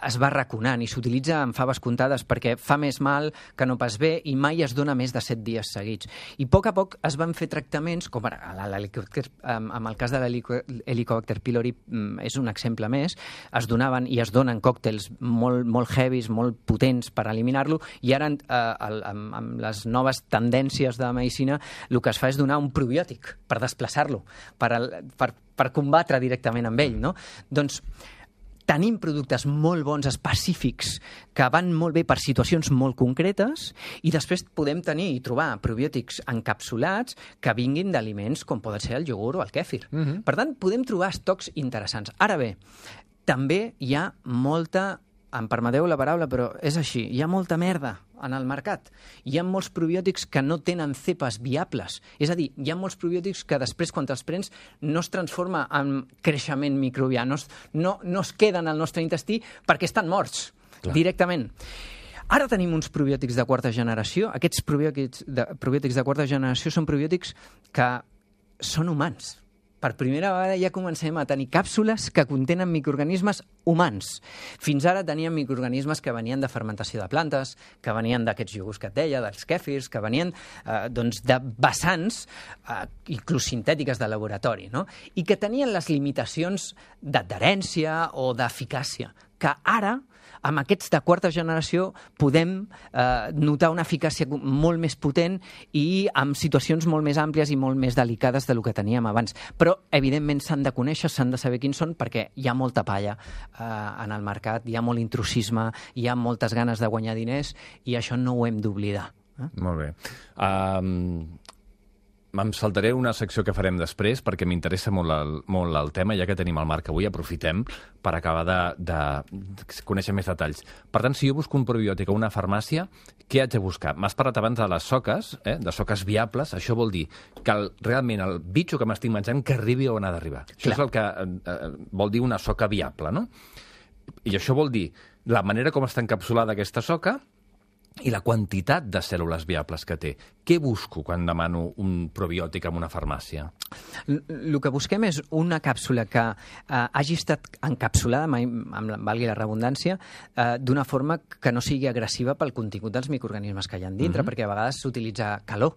es va raconant i s'utilitza en faves comptades perquè fa més mal que no pas bé i mai es dona més de 7 dies seguits. I a poc es van fer tractaments, com ara amb el cas de l'Helicobacter pylori és un exemple més, es donaven i es donen còctels molt heavies, molt potents per eliminar-lo, i ara amb les noves tendències de la medicina el que es fa és donar un probiòtic per desplaçar-lo, per combatre directament amb ell, no? Doncs tenim productes molt bons, específics, que van molt bé per situacions molt concretes, i després podem tenir i trobar probiòtics encapsulats que vinguin d'aliments com poden ser el iogurt o el kèfir. Per tant, podem trobar estocs interessants. Ara bé, també hi ha molta, em permeteu la paraula, però és així, hi ha molta merda en el mercat. Hi ha molts probiòtics que no tenen cepes viables. És a dir, hi ha molts probiòtics que després, quan te'ls prens, no es transforma en creixement microbià, no es queden al nostre intestí perquè estan morts directament. Ara tenim uns probiòtics de quarta generació. Aquests probiòtics de quarta generació són probiòtics que són humans. Per primera vegada ja comencem a tenir càpsules que contenen microorganismes humans. Fins ara teníem microorganismes que venien de fermentació de plantes, que venien d'aquests iogurts que et deia, dels kèfirs, que venien de vessants, inclús sintètiques de laboratori, no? I que tenien les limitacions d'adherència o d'eficàcia, que ara, amb aquests de quarta generació, podem notar una eficàcia molt més potent i amb situacions molt més àmplies i molt més delicades del que teníem abans. Però, evidentment, s'han de conèixer, s'han de saber quins són, perquè hi ha molta palla en el mercat, hi ha molt intrusisme, hi ha moltes ganes de guanyar diners, i això no ho hem d'oblidar. Molt bé. Em saltaré una secció que farem després perquè m'interessa molt el tema, ja que tenim el Marc avui, aprofitem per acabar de conèixer més detalls. Per tant, si jo busco un probiòtic a una farmàcia, què haig de buscar? M'has parlat abans de les soques, de soques viables. Això vol dir que realment el bitxo que m'estic menjant que arribi on ha d'arribar. Això és el que vol dir una soca viable, no? I això vol dir la manera com està encapsulada aquesta soca i la quantitat de cèl·lules viables que té. Què busco quan demano un probiòtic en una farmàcia? El que busquem és una càpsula que hagi estat encapsulada, valgui la redundància, d'una forma que no sigui agressiva pel contingut dels microorganismes que hi ha dintre, perquè a vegades s'utilitza calor.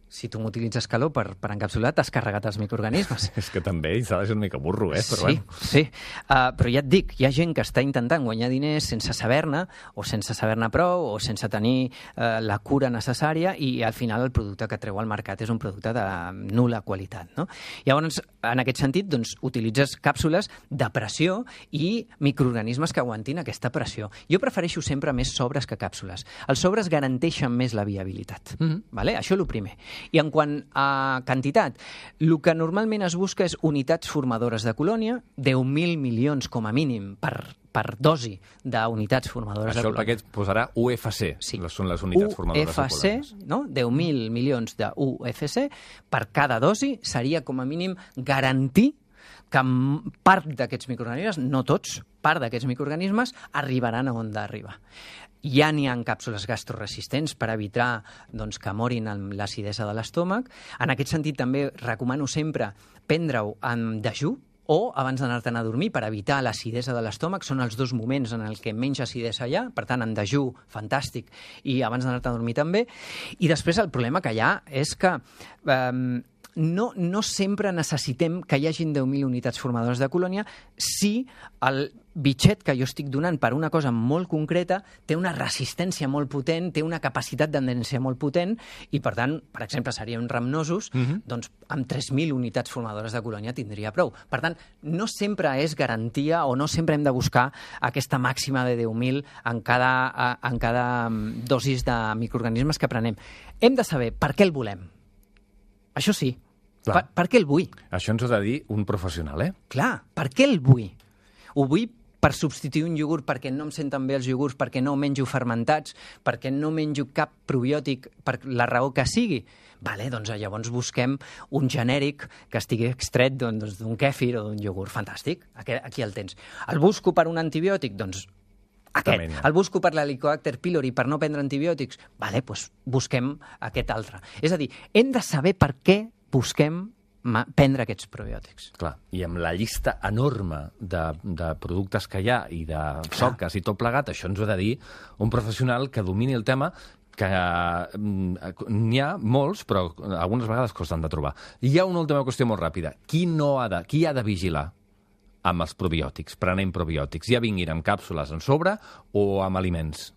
Si tu m'utilitzes calor per encapsular, t'has carregat els microorganismes. És que també s'ha de ser una mica burro, però sí, bueno. Sí. Però ja et dic, hi ha gent que està intentant guanyar diners sense saber-ne, o sense saber-ne prou, o sense tenir la cura necessària, i al final el producte que treu al mercat és un producte de nul·la qualitat, no? Llavors, en aquest sentit, doncs, utilitzes càpsules de pressió i microorganismes que aguantin aquesta pressió. Jo prefereixo sempre més sobres que càpsules. Els sobres garanteixen més la viabilitat. Vale? Això és el primer. I en quant a quantitat, el que normalment es busca és unitats formadores de colònia, 10.000 milions com a mínim per dosi d'unitats formadores de colònia. Això el paquet posarà UFC, són les unitats formadores de colònies. UFC, no? 10.000 milions de UFC per cada dosi seria com a mínim garantir que part d'aquests microorganismes, no tots, part d'aquests microorganismes arribaran a on d'arribar. Ja n'hi ha càpsules gastroresistents per evitar que morin amb l'acidesa de l'estómac. En aquest sentit, també recomano sempre prendre-ho en dejú o abans d'anar-te'n a dormir per evitar l'acidesa de l'estómac. Són els dos moments en què menys acidesa hi ha, per tant, en dejú, fantàstic, i abans d'anar-te a dormir també. I després el problema que hi ha és que no sempre necessitem que hi hagin 10.000 unitats formadores de colònia si el bitxet que jo estic donant per una cosa molt concreta té una resistència molt potent, té una capacitat d'adherència molt potent i, per tant, per exemple, serien ramnosos, doncs amb 3.000 unitats formadores de colònia tindria prou. Per tant, no sempre és garantia o no sempre hem de buscar aquesta màxima de 10.000 en cada dosis de microorganismes que prenem. Hem de saber per què el volem. Això sí. Per què el vull? Això ens ho ha de dir un professional, Clar, per què el vull? Ho vull per substituir un iogurt perquè no em senten bé els iogurts, perquè no menjo fermentats, perquè no menjo cap probiòtic, per la raó que sigui. Vale, doncs llavors busquem un genèric que estigui extret d'un kèfir o d'un iogurt. Fantàstic, aquí el tens. El busco per un antibiòtic? Doncs aquest. El busco per l'Helicobacter pylori per no prendre antibiòtics? Vale, doncs busquem aquest altre. És a dir, hem de saber per què busquem prendre aquests probiòtics. Clar, i amb la llista enorme de productes que hi ha i de soques i tot plegat, això ens ho ha de dir un professional que domini el tema, que n'hi ha molts, però algunes vegades costen de trobar. Hi ha una última qüestió molt ràpida. Qui ha de vigilar amb els probiòtics, prenent probiòtics? Ja vinguin amb càpsules en sobre o amb aliments?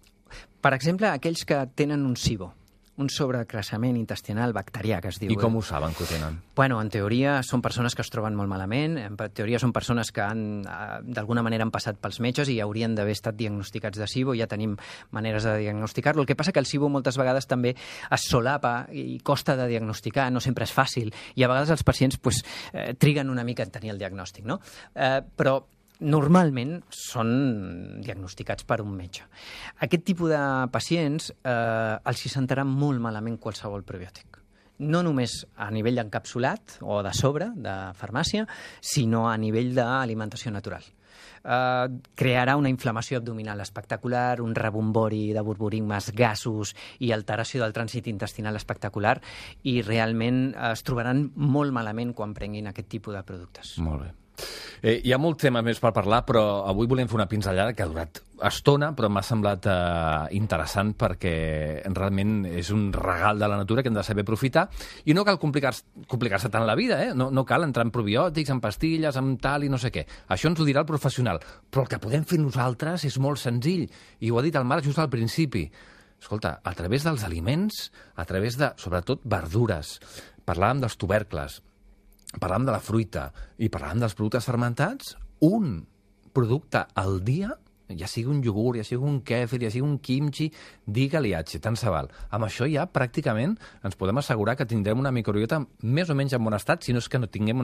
Per exemple, aquells que tenen un SIBO, un sobrecreixement intestinal bacterià, que es diu. I com ho saben que ho tenen? Bueno, en teoria són persones que es troben molt malament, en teoria són persones que d'alguna manera han passat pels metges i haurien d'haver estat diagnosticats de SIBO, ja tenim maneres de diagnosticar-lo. El que passa que el SIBO moltes vegades també es solapa i costa de diagnosticar, no sempre és fàcil, i a vegades els pacients triguen una mica en tenir el diagnòstic, no? Però normalment són diagnosticats per un metge. Aquest tipus de pacients els hi sentarà molt malament qualsevol probiòtic. No només a nivell encapsulat o de sobre, de farmàcia, sinó a nivell d'alimentació natural. Crearà una inflamació abdominal espectacular, un rebombori de borborigmes, gasos i alteració del trànsit intestinal espectacular, i realment es trobaran molt malament quan prenguin aquest tipus de productes. Molt bé. Hi ha molt tema més per parlar, però avui volem fer una pinzellada que ha durat estona, però m'ha semblat interessant perquè realment és un regal de la natura que hem de saber aprofitar, i no cal complicar-se tant la vida, no cal entrar en probiòtics, en pastilles, en tal i no sé què. Això ens ho dirà el professional, però el que podem fer nosaltres és molt senzill, i ho ha dit el Marc just al principi. Escolta, a través dels aliments, a través de, sobretot, verdures, parlàvem dels tubercles, parlàvem de la fruita i parlàvem dels productes fermentats, un producte al dia, ja sigui un iogurt, ja sigui un kèfir, ja sigui un kimchi, digue-li H, tant se val. Amb això ja pràcticament ens podem assegurar que tindrem una microbiota més o menys en bon estat, si no és que no tenim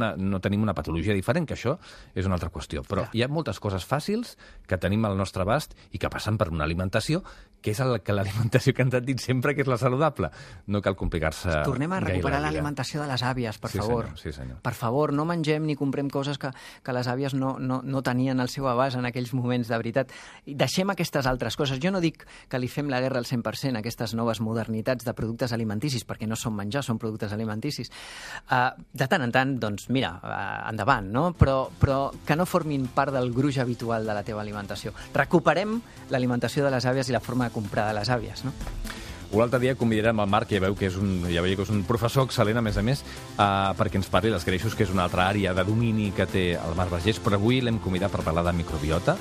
una patologia diferent, que això és una altra qüestió. Però hi ha moltes coses fàcils que tenim al nostre abast i que passen per una alimentació que és l'alimentació que ens han dit sempre que és la saludable. No cal complicar-se gaire. Tornem a recuperar l'alimentació de les àvies, per favor. Sí, senyor. Per favor, no mengem ni comprem coses que les àvies no tenien al seu abast en aquells moments, de veritat. Deixem aquestes altres coses. Jo no dic que li fem la guerra al 100% a aquestes noves modernitats de productes alimenticis, perquè no són menjar, són productes alimenticis. De tant en tant, doncs, mira, endavant, no? Però que no formin part del gruix habitual de la teva alimentació. Recuperem l'alimentació de les àvies i la forma de comprar de les àvies, no? Un altre dia convidarem el Marc, ja veieu que és un professor excel·lent, a més, perquè ens parli dels greixos, que és una altra àrea de domini que té el Marc Vergés, però avui l'hem convidat per parlar de microbiota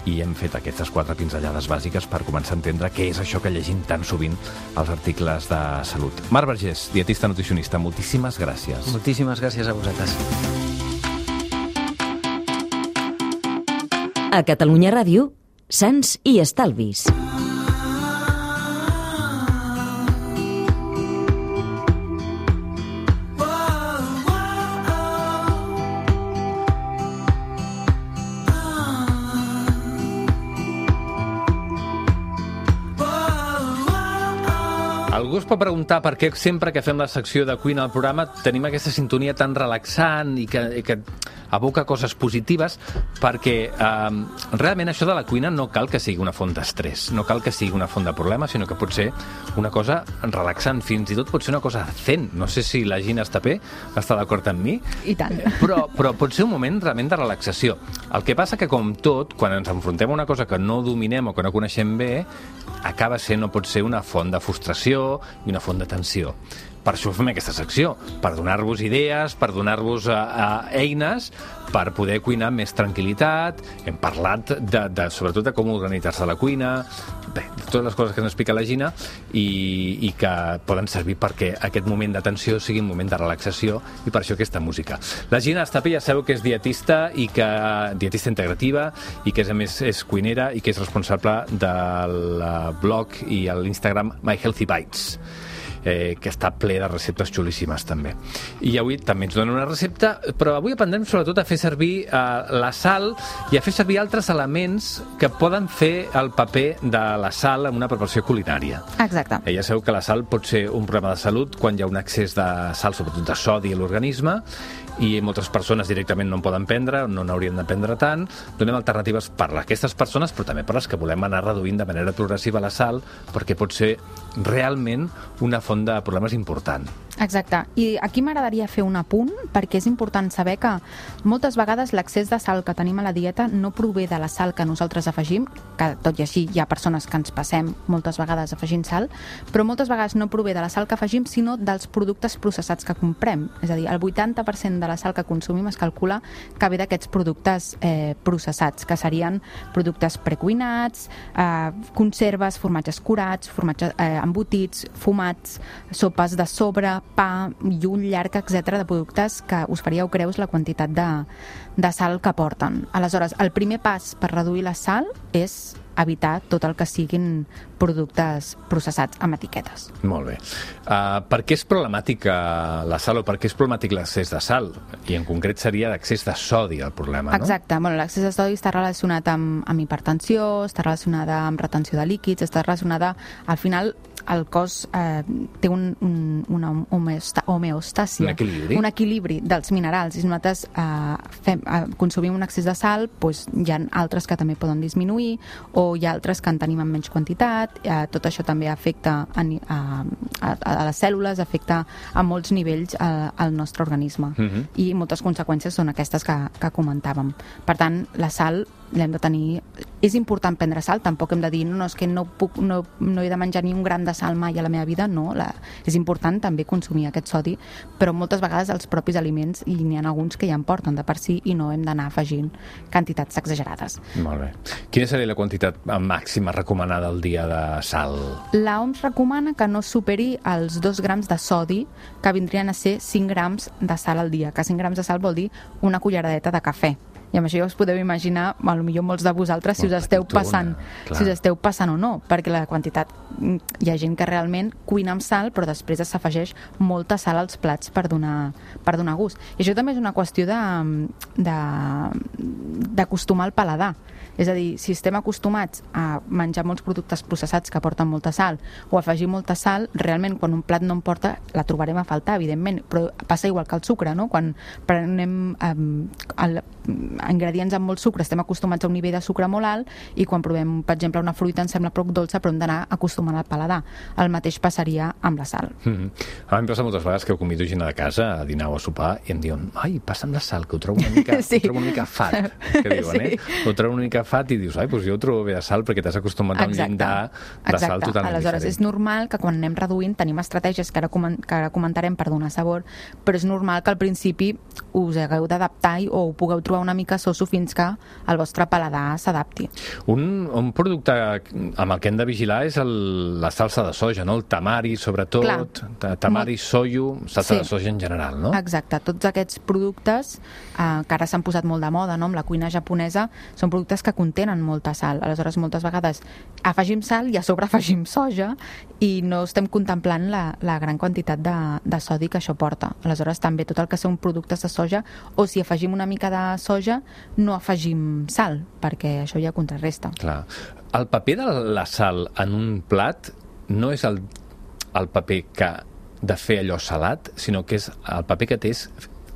i hem fet aquestes 4 pinzellades bàsiques per començar a entendre què és això que llegim tan sovint als articles de salut. Marc Vergés, dietista nutricionista, moltíssimes gràcies. Moltíssimes gràcies a vosaltres. A Catalunya Ràdio, Sants i Estalvis. Algú es pot preguntar per què sempre que fem la secció de cuina al programa tenim aquesta sintonia tan relaxant i que aboca coses positives, perquè realment això de la cuina no cal que sigui una font d'estrès, no cal que sigui una font de problemes, sinó que pot ser una cosa relaxant, fins i tot pot ser una cosa zen. No sé si la Gina Estapé està d'acord amb mi. I tant. Però pot ser un moment realment de relaxació. El que passa que, com tot, quan ens enfrontem a una cosa que no dominem o que no coneixem bé, acaba sent o pot ser una font de frustració i una font de tensió. Per això fem aquesta secció, per donar-vos idees, per donar-vos eines per poder cuinar amb més tranquil·litat. Hem parlat sobretot de com organitzar-se a la cuina, bé, totes les coses que ens explica la Gina i que poden servir perquè aquest moment de tensió sigui un moment de relaxació, i per això aquesta música. La Gina Estapé, ja sabeu que és dietista integrativa i que a més és cuinera i que és responsable del blog i l'Instagram My Healthy Bites, que està ple de receptes xulíssimes també. I avui també ens donen una recepta, però avui aprendrem sobretot a fer servir la sal i a fer servir altres elements que poden fer el paper de la sal en una preparació culinària. Exacte. Ja sabeu que la sal pot ser un problema de salut quan hi ha un excés de sal, sobretot de sodi, a l'organisme, i moltes persones directament no en poden prendre, no n'haurien de prendre tant. Donem alternatives per a aquestes persones, però també per a les que volem anar reduint de manera progressiva la sal, perquè pot ser realment una font de problemes important. Exacte. I aquí m'agradaria fer un apunt, perquè és important saber que moltes vegades l'accés de sal que tenim a la dieta no prové de la sal que nosaltres afegim, que tot i així hi ha persones que ens passem moltes vegades afegint sal, però moltes vegades no prové de la sal que afegim, sinó dels productes processats que comprem. És a dir, el 80% de la sal que consumim es calcula que ve d'aquests productes processats, que serien productes precuinats, conserves, formatges curats, formatges embotits, fumats, sopes de sobre, pa i un llarg, etc. de productes que us faríeu creus la quantitat de sal que porten. Aleshores, el primer pas per reduir la sal és evitar tot el que siguin productes processats amb etiquetes. Molt bé. Per què és problemàtica la sal o per què és problemàtic l'accés de sal? I en concret seria l'accés de sodi el problema, no? Exacte. Bueno, l'accés de sodi està relacionat amb hipertensió, està relacionada amb retenció de líquids, està relacionada... Al final, el cos té una homeostàsia, un equilibri dels minerals. I si nosaltres consumim un excés de sal, doncs hi ha altres que també poden disminuir, o hi ha altres que en tenim en menys quantitat. Tot això també afecta a les cèl·lules, afecta a molts nivells al nostre organisme. I moltes conseqüències són aquestes que comentàvem. Per tant, la sal l'hem de tenir... És important prendre sal, tampoc hem de dir no, és que no he de menjar ni un gram de sal mai a la meva vida, no. És important també consumir aquest sodi, però moltes vegades els propis aliments, i n'hi ha alguns que ja en porten de per si, i no hem d'anar afegint quantitats exagerades. Molt bé. Quina seria la quantitat màxima recomanada al dia de sal? L'OMS recomana que no superi els 2 grams de sodi, que vindrien a ser 5 grams de sal al dia, que 5 grams de sal vol dir una culleradeta de cafè. I amb això ja us podeu imaginar, potser molts de vosaltres, si us esteu passant o no, perquè la quantitat... Hi ha gent que realment cuina amb sal, però després s'afegeix molta sal als plats per donar gust. I això també és una qüestió d'acostumar el paladar. És a dir, si estem acostumats a menjar molts productes processats que porten molta sal o afegir molta sal, realment quan un plat no en porta la trobarem a faltar, evidentment, però passa igual que el sucre, no? Quan prenem ingredients amb molt sucre estem acostumats a un nivell de sucre molt alt i quan provem, per exemple, una fruita ens sembla poc dolça, però hem d'anar acostumant al paladar. El mateix passaria amb la sal. A mi em passa moltes vegades que convido gent a casa a dinar o a sopar i em diuen, ai, passa'm la sal, que ho trobo una mica, ho trobo una mica fat, que diuen, Ho trobo una mica fat i dius, ai, doncs jo ho trobo bé de sal perquè t'has acostumat a un llindar de sal totalment Aleshores, diferent. És normal que quan anem reduint tenim estratègies que ara comentarem per donar sabor, però és normal que al principi us hagueu d'adaptar o ho pugueu trobar una mica soso fins que el vostre paladar s'adapti. Un producte amb el que hem de vigilar és la salsa de soja, no? El tamari, sobretot, tamari, soio, salsa de soja en general, no? Exacte, tots aquests productes que ara s'han posat molt de moda, no? Amb la cuina japonesa, són productes que contenen molta sal. Aleshores, moltes vegades afegim sal i a sobre afegim soja i no estem contemplant la gran quantitat de sodi que això porta. Aleshores, també tot el que són productes de soja, o si afegim una mica de soja, no afegim sal, perquè això ja contrarresta. Clar. El paper de la sal en un plat no és el paper de fer allò salat, sinó que és el paper que té és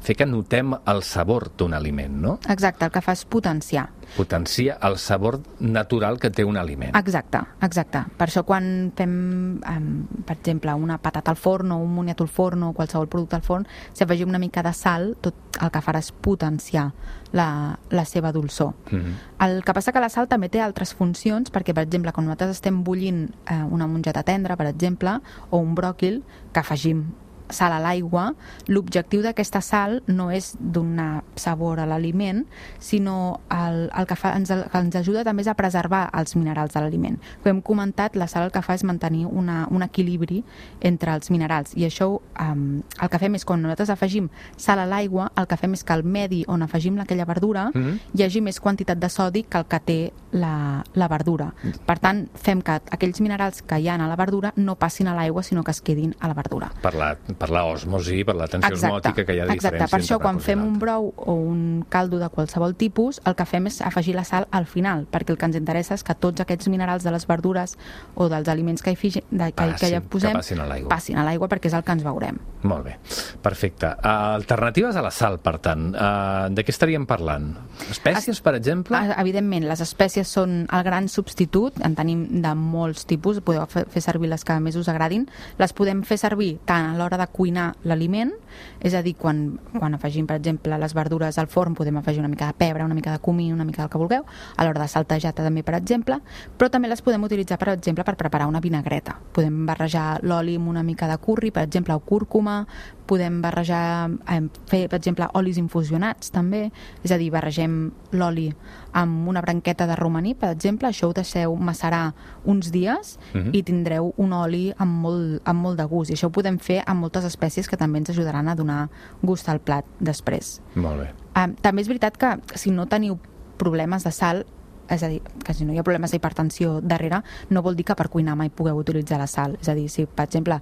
fer que notem el sabor d'un aliment, no? Exacte, el que fa és potenciar. Potencia el sabor natural que té un aliment. Exacte. Per això quan fem, per exemple, una patata al forn o un moniato al forn o qualsevol producte al forn, si afegim una mica de sal, tot el que farà és potenciar la seva dolçor. El que passa que la sal també té altres funcions, perquè, per exemple, quan nosaltres estem bullint una mongeta tendra, per exemple, o un bròquil, que afegim sal a l'aigua, l'objectiu d'aquesta sal no és donar sabor a l'aliment, sinó el que ens ajuda també és a preservar els minerals de l'aliment. Com hem comentat, la sal el que fa és mantenir un equilibri entre els minerals, i això el que fem és, quan nosaltres afegim sal a l'aigua, el que fem és que al medi on afegim aquella verdura hi hagi més quantitat de sodi que el que té la verdura. Per tant, fem que aquells minerals que hi ha a la verdura no passin a l'aigua, sinó que es quedin a la verdura. Per l'osmosi, per la tensió osmòtica que hi ha de diferència. Exacte, per això quan fem un brou o un caldo de qualsevol tipus, el que fem és afegir la sal al final, perquè el que ens interessa és que tots aquests minerals de les verdures o dels aliments que hi posem passin a l'aigua, perquè és el que ens veurem. Molt bé, perfecte. Alternatives a la sal, per tant, de què estaríem parlant? Espècies, per exemple? Evidentment, les espècies són el gran substitut, en tenim de molts tipus, podeu fer servir les que més us agradin, les podem fer servir tant a l'hora de de cuinar l'aliment, és a dir, quan afegim, per exemple, les verdures al forn, podem afegir una mica de pebre, una mica de comí, una mica del que vulgueu, a l'hora de saltejar també, per exemple, però també les podem utilitzar, per exemple, per preparar una vinagreta. Podem barrejar l'oli amb una mica de curri, per exemple, o cúrcuma, podem barrejar, fer, per exemple, olis infusionats també, és a dir, barregem l'oli amb una branqueta de romaní, per exemple, això ho deixeu macerar uns dies i tindreu un oli amb molt de gust, i això ho podem fer amb moltes espècies que també ens ajudaran a donar gust al plat després. Molt bé. També és veritat que si no teniu problemes de sal, és a dir, que si no hi ha problemes d'hipertensió darrere, no vol dir que per cuinar mai pugueu utilitzar la sal. És a dir, si, per exemple,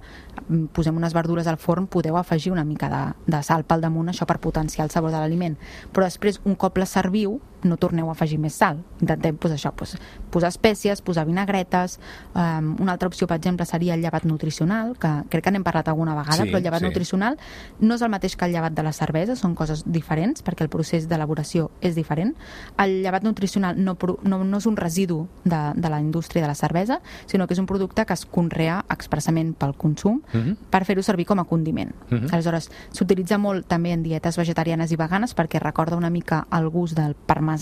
posem unes verdures al forn, podeu afegir una mica de sal pel damunt, això per potenciar el sabor de l'aliment. Però després, un cop la serviu, no torneu a afegir més sal. Intentem posar espècies, posar vinagretes. Una altra opció, per exemple, seria el llevat nutricional, que crec que n'hem parlat alguna vegada, però el llevat nutricional no és el mateix que el llevat de la cervesa, són coses diferents, perquè el procés d'elaboració és diferent. El llevat nutricional no és un residu de la indústria de la cervesa, sinó que és un producte que es conrea expressament pel consum per fer-ho servir com a condiment. Aleshores, s'utilitza molt també en dietes vegetarianes i veganes perquè recorda una mica el gust del parmesà,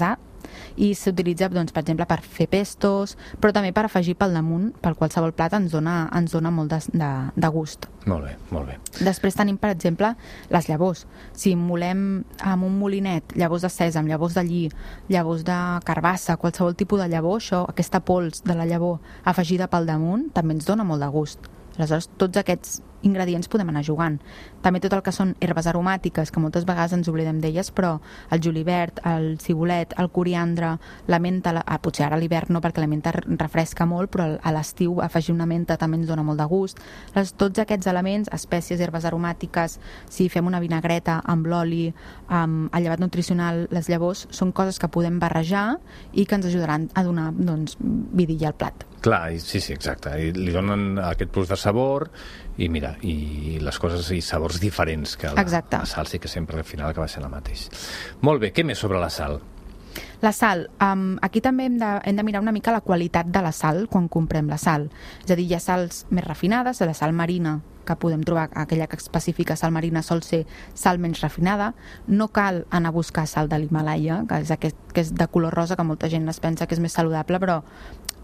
i s'utilitza, doncs, per exemple, per fer pestos, però també per afegir pel damunt, pel qualsevol plat ens dona molt de gust. Molt bé, molt bé. Després tenim, per exemple, les llavors. Si molem amb un molinet llavors de sèsam, llavors de lli, llavors de carbassa, qualsevol tipus de llavor, aquesta pols de la llavor afegida pel damunt també ens dona molt de gust. Aleshores, tots aquests ingredients podem anar jugant. També tot el que són herbes aromàtiques, que moltes vegades ens oblidem d'elles, però el julivert, el cibulet, el coriandre, la menta, potser ara a l'hivern no, perquè la menta refresca molt, però a l'estiu afegir una menta també ens dona molt de gust. Tots aquests elements, espècies, herbes aromàtiques, si fem una vinagreta amb l'oli, amb el llevat nutricional, les llavors, són coses que podem barrejar i que ens ajudaran a donar, doncs, vidilla al plat. Clar, sí, exacte. I li donen aquest plus de sabor i mira, i les coses i sabors diferents que la sal sí que sempre al final acaba sent la mateixa. Molt bé, què més sobre la sal? La sal, aquí també hem de mirar una mica la qualitat de la sal quan comprem la sal. És a dir, hi ha sals més refinades, la sal marina que podem trobar, aquella que especifica sal marina sol ser sal menys refinada. No cal anar a buscar sal de l'Himàlaia, que és de color rosa, que molta gent es pensa que és més saludable, però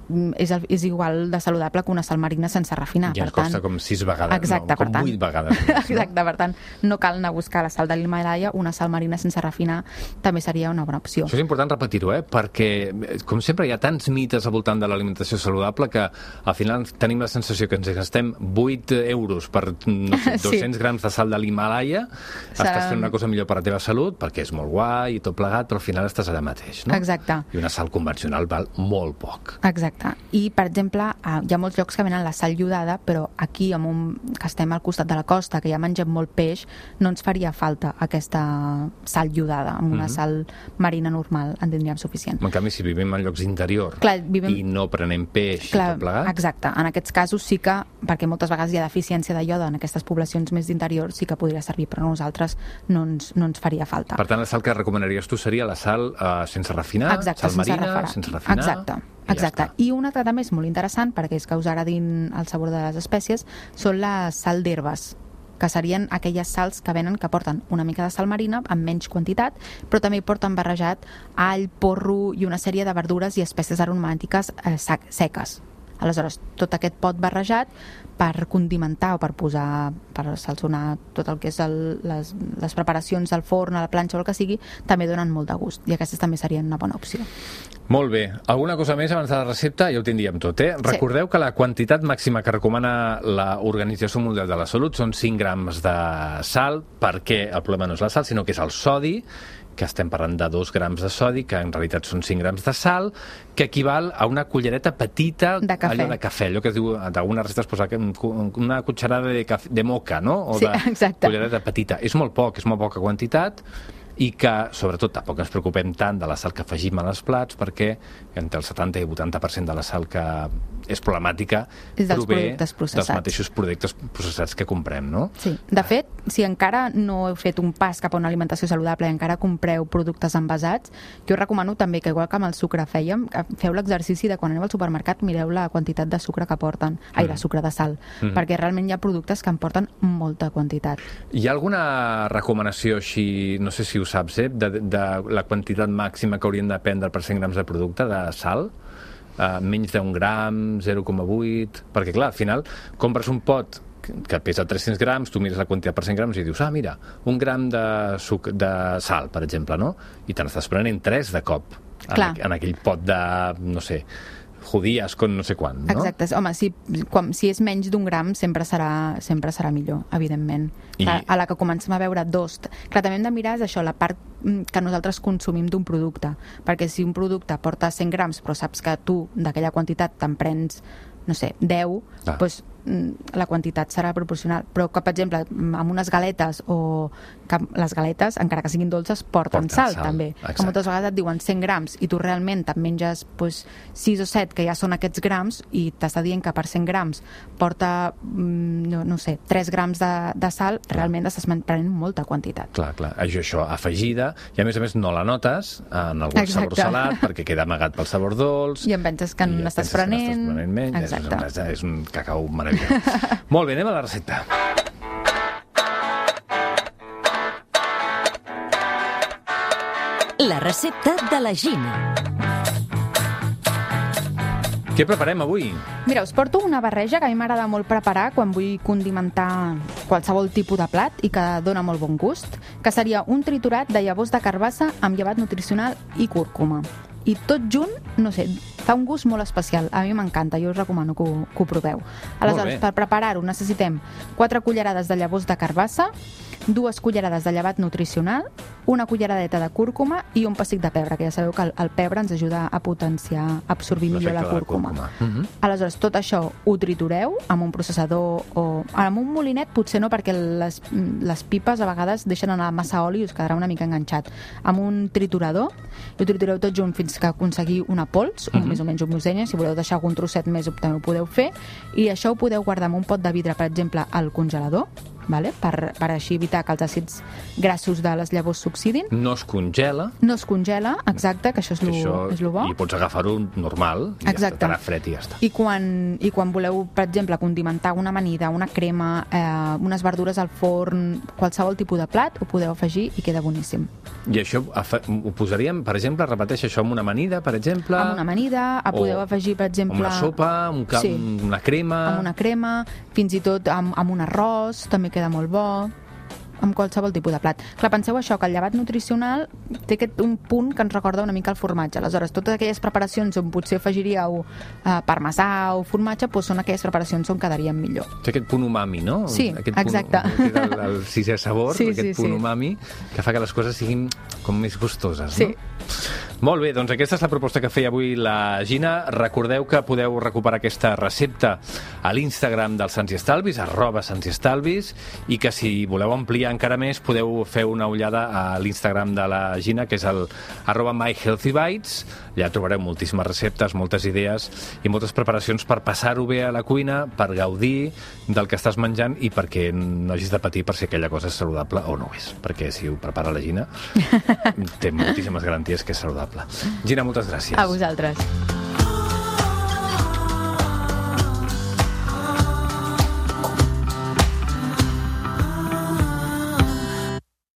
és igual de saludable que una sal marina sense refinar. Ja ens costa com 6 vegades, exacte, com 8 vegades. Exacte, per tant, no cal anar a buscar la sal de l'Himàlaia, una sal marina sense refinar també seria una bona opció. Això és important repetir-ho, perquè, com sempre, hi ha tants mites al voltant de l'alimentació saludable que al final tenim la sensació que ens gastem 8 euros per 200 grams de sal de l'Himàlaia, estàs fent una cosa millor per la teva salut, perquè és molt guai i tot plegat, però al final estàs allà mateix, no? Exacte. I una sal convencional val molt poc. Exacte. I, per exemple, hi ha molts llocs que venen la sal iodada, però aquí, que estem al costat de la costa, que ja mengem molt peix, no ens faria falta aquesta sal iodada. Amb una sal marina normal en tindríem suficient. En canvi, si vivim en llocs d'interior i no prenem peix i tot plegat... Exacte. En aquests casos sí que, perquè moltes vegades hi ha deficiència de ioda en aquestes poblacions més d'interior, sí que podria servir, però a nosaltres no ens faria falta. Per tant, la sal que recomanaries tu seria la sal sense refinar, sal marina, sense refinar... Exacte. I una altra també és molt interessant, perquè és que us agradin el sabor de les espècies, són les sal d'herbes, que serien aquelles sals que venen que porten una mica de sal marina amb menys quantitat, però també porten barrejat all, porro i una sèrie de verdures i espècies aromàtiques seques. Aleshores, tot aquest pot barrejat per condimentar o per posar, per salsonar tot el que és les preparacions al forn, a la planxa o el que sigui, també donen molt de gust, i aquestes també serien una bona opció. Molt bé. Alguna cosa més abans de la recepta? Ja ho tindríem tot, eh? Recordeu que la quantitat màxima que recomana l'Organització Mundial de la Salut són 5 grams de sal, perquè el problema no és la sal, sinó que és el sodi, que estem parlant de 2 grams de sodi, que en realitat són 5 grams de sal, que equival a una cullereta petita de cafè. Allò de cafè, allò que es diu, d'algunes receptes posa una cucharada de moca, no? O sí, exacte. Cullereta petita. És molt poc, és molt poca quantitat, i que, sobretot, tampoc ens preocupem tant de la sal que afegim a les plats, perquè entre el 70 i 80% de la sal que és problemàtica prové dels mateixos productes processats que comprem, no? Sí. De fet, si encara no heu fet un pas cap a una alimentació saludable i encara compreu productes envasats, jo us recomano també que, igual que amb el sucre fèiem, feu l'exercici de quan aneu al supermercat mireu la quantitat de sucre que porten, de sucre de sal, perquè realment hi ha productes que en porten molta quantitat. Hi ha alguna recomanació així, no sé si ho saps, de la quantitat màxima que haurien de prendre per 100 grams de producte de sal? Menys d'un gram, 0,8... Perquè, clar, al final, compres un pot que pesa 300 grams, tu mires la quantitat per 100 grams i dius, mira, 1 gram de sal, per exemple, no? I te n'estàs prenent 3 de cop en aquell pot de, no sé, judíes con no sé quant, no? Exacte. Home, si és menys d'un gram sempre serà millor, evidentment. Clar, a la que comencem a veure 2... Clar, també hem de mirar això, la part que nosaltres consumim d'un producte, perquè si un producte porta 100 grams però saps que tu d'aquella quantitat te'n prens, no sé, 10, doncs la quantitat serà proporcional. Però que, per exemple, amb unes galetes o que les galetes, encara que siguin dolces, porten sal, també. Exacte. Que moltes vegades et diuen 100 grams i tu realment te'n menges 6 o 7, que ja són aquests grams, i t'està dient que per 100 grams porta, no sé, 3 grams de sal, realment estàs prenent molta quantitat. Clar. Això afegida, i a més no la notes en algun sabor salat, perquè queda amagat pel sabor dolç. I em penses que n'estàs prenent menys. Exacte. És un cacau meravellós. Molt bé, anem a la recepta. La recepta de la Gina. Què preparem avui? Mira, us porto una barreja que a mi m'agrada molt preparar quan vull condimentar qualsevol tipus de plat i que dona molt bon gust, que seria un triturat de llavors de carbassa amb llevat nutricional i cúrcuma. I tot junt, no sé, fa un gust molt especial. A mi m'encanta, jo us recomano que ho proveu. Aleshores, per preparar-ho necessitem 4 cullerades de llavors de carbassa, 2 cullerades de llevat nutricional, una culleradeta de cúrcuma i un pessic de pebre, que ja sabeu que el pebre ens ajuda a potenciar, a absorbir millor la cúrcuma. Aleshores, tot això ho tritureu amb un processador o amb un molinet, potser no, perquè les pipes a vegades deixen anar massa oli i us quedarà una mica enganxat. Amb un triturador, i ho tritureu tot junt fins que aconseguir una pols, més o menys homogènia. Si voleu deixar algun trosset més també ho podeu fer, i això ho podeu guardar en un pot de vidre, per exemple, al congelador, per així evitar que els àcids grassos de les llavors s'oxidin. No es congela. No es congela, exacte, que això és lo bo. I pots agafar-ho normal, i estarà fred i ja està. I quan voleu, per exemple, condimentar una amanida, una crema, unes verdures al forn, qualsevol tipus de plat, ho podeu afegir i queda boníssim. I això ho posaríem, per exemple, repeteix això, amb una amanida, per exemple? Amb una amanida, podeu afegir, per exemple... Amb una sopa, una crema... Amb una crema, fins i tot amb un arròs, també queda molt bo, amb qualsevol tipus de plat. Clar, penseu això, que el llevat nutricional té un punt que ens recorda una mica el formatge. Aleshores, totes aquelles preparacions on potser afegiríeu parmesà o formatge, són aquelles preparacions on quedarien millor. Té aquest punt umami, no? Sí, exacte. El sisè sabor, aquest punt umami, que fa que les coses siguin com més gustoses, no? Sí. Molt bé, doncs aquesta és la proposta que feia avui la Gina. Recordeu que podeu recuperar aquesta recepta a l'Instagram del Sants i Estalvis, @sansiestalvis, i que si voleu ampliar encara més podeu fer una ullada a l'Instagram de la Gina, que és el @myhealthybites. Allà trobareu moltíssimes receptes, moltes idees i moltes preparacions per passar-ho bé a la cuina, per gaudir del que estàs menjant i perquè no hagis de patir per si aquella cosa és saludable o no ho és, perquè si ho prepara la Gina té moltíssimes garanties que és saludable. Gina, moltes gràcies. A vosaltres.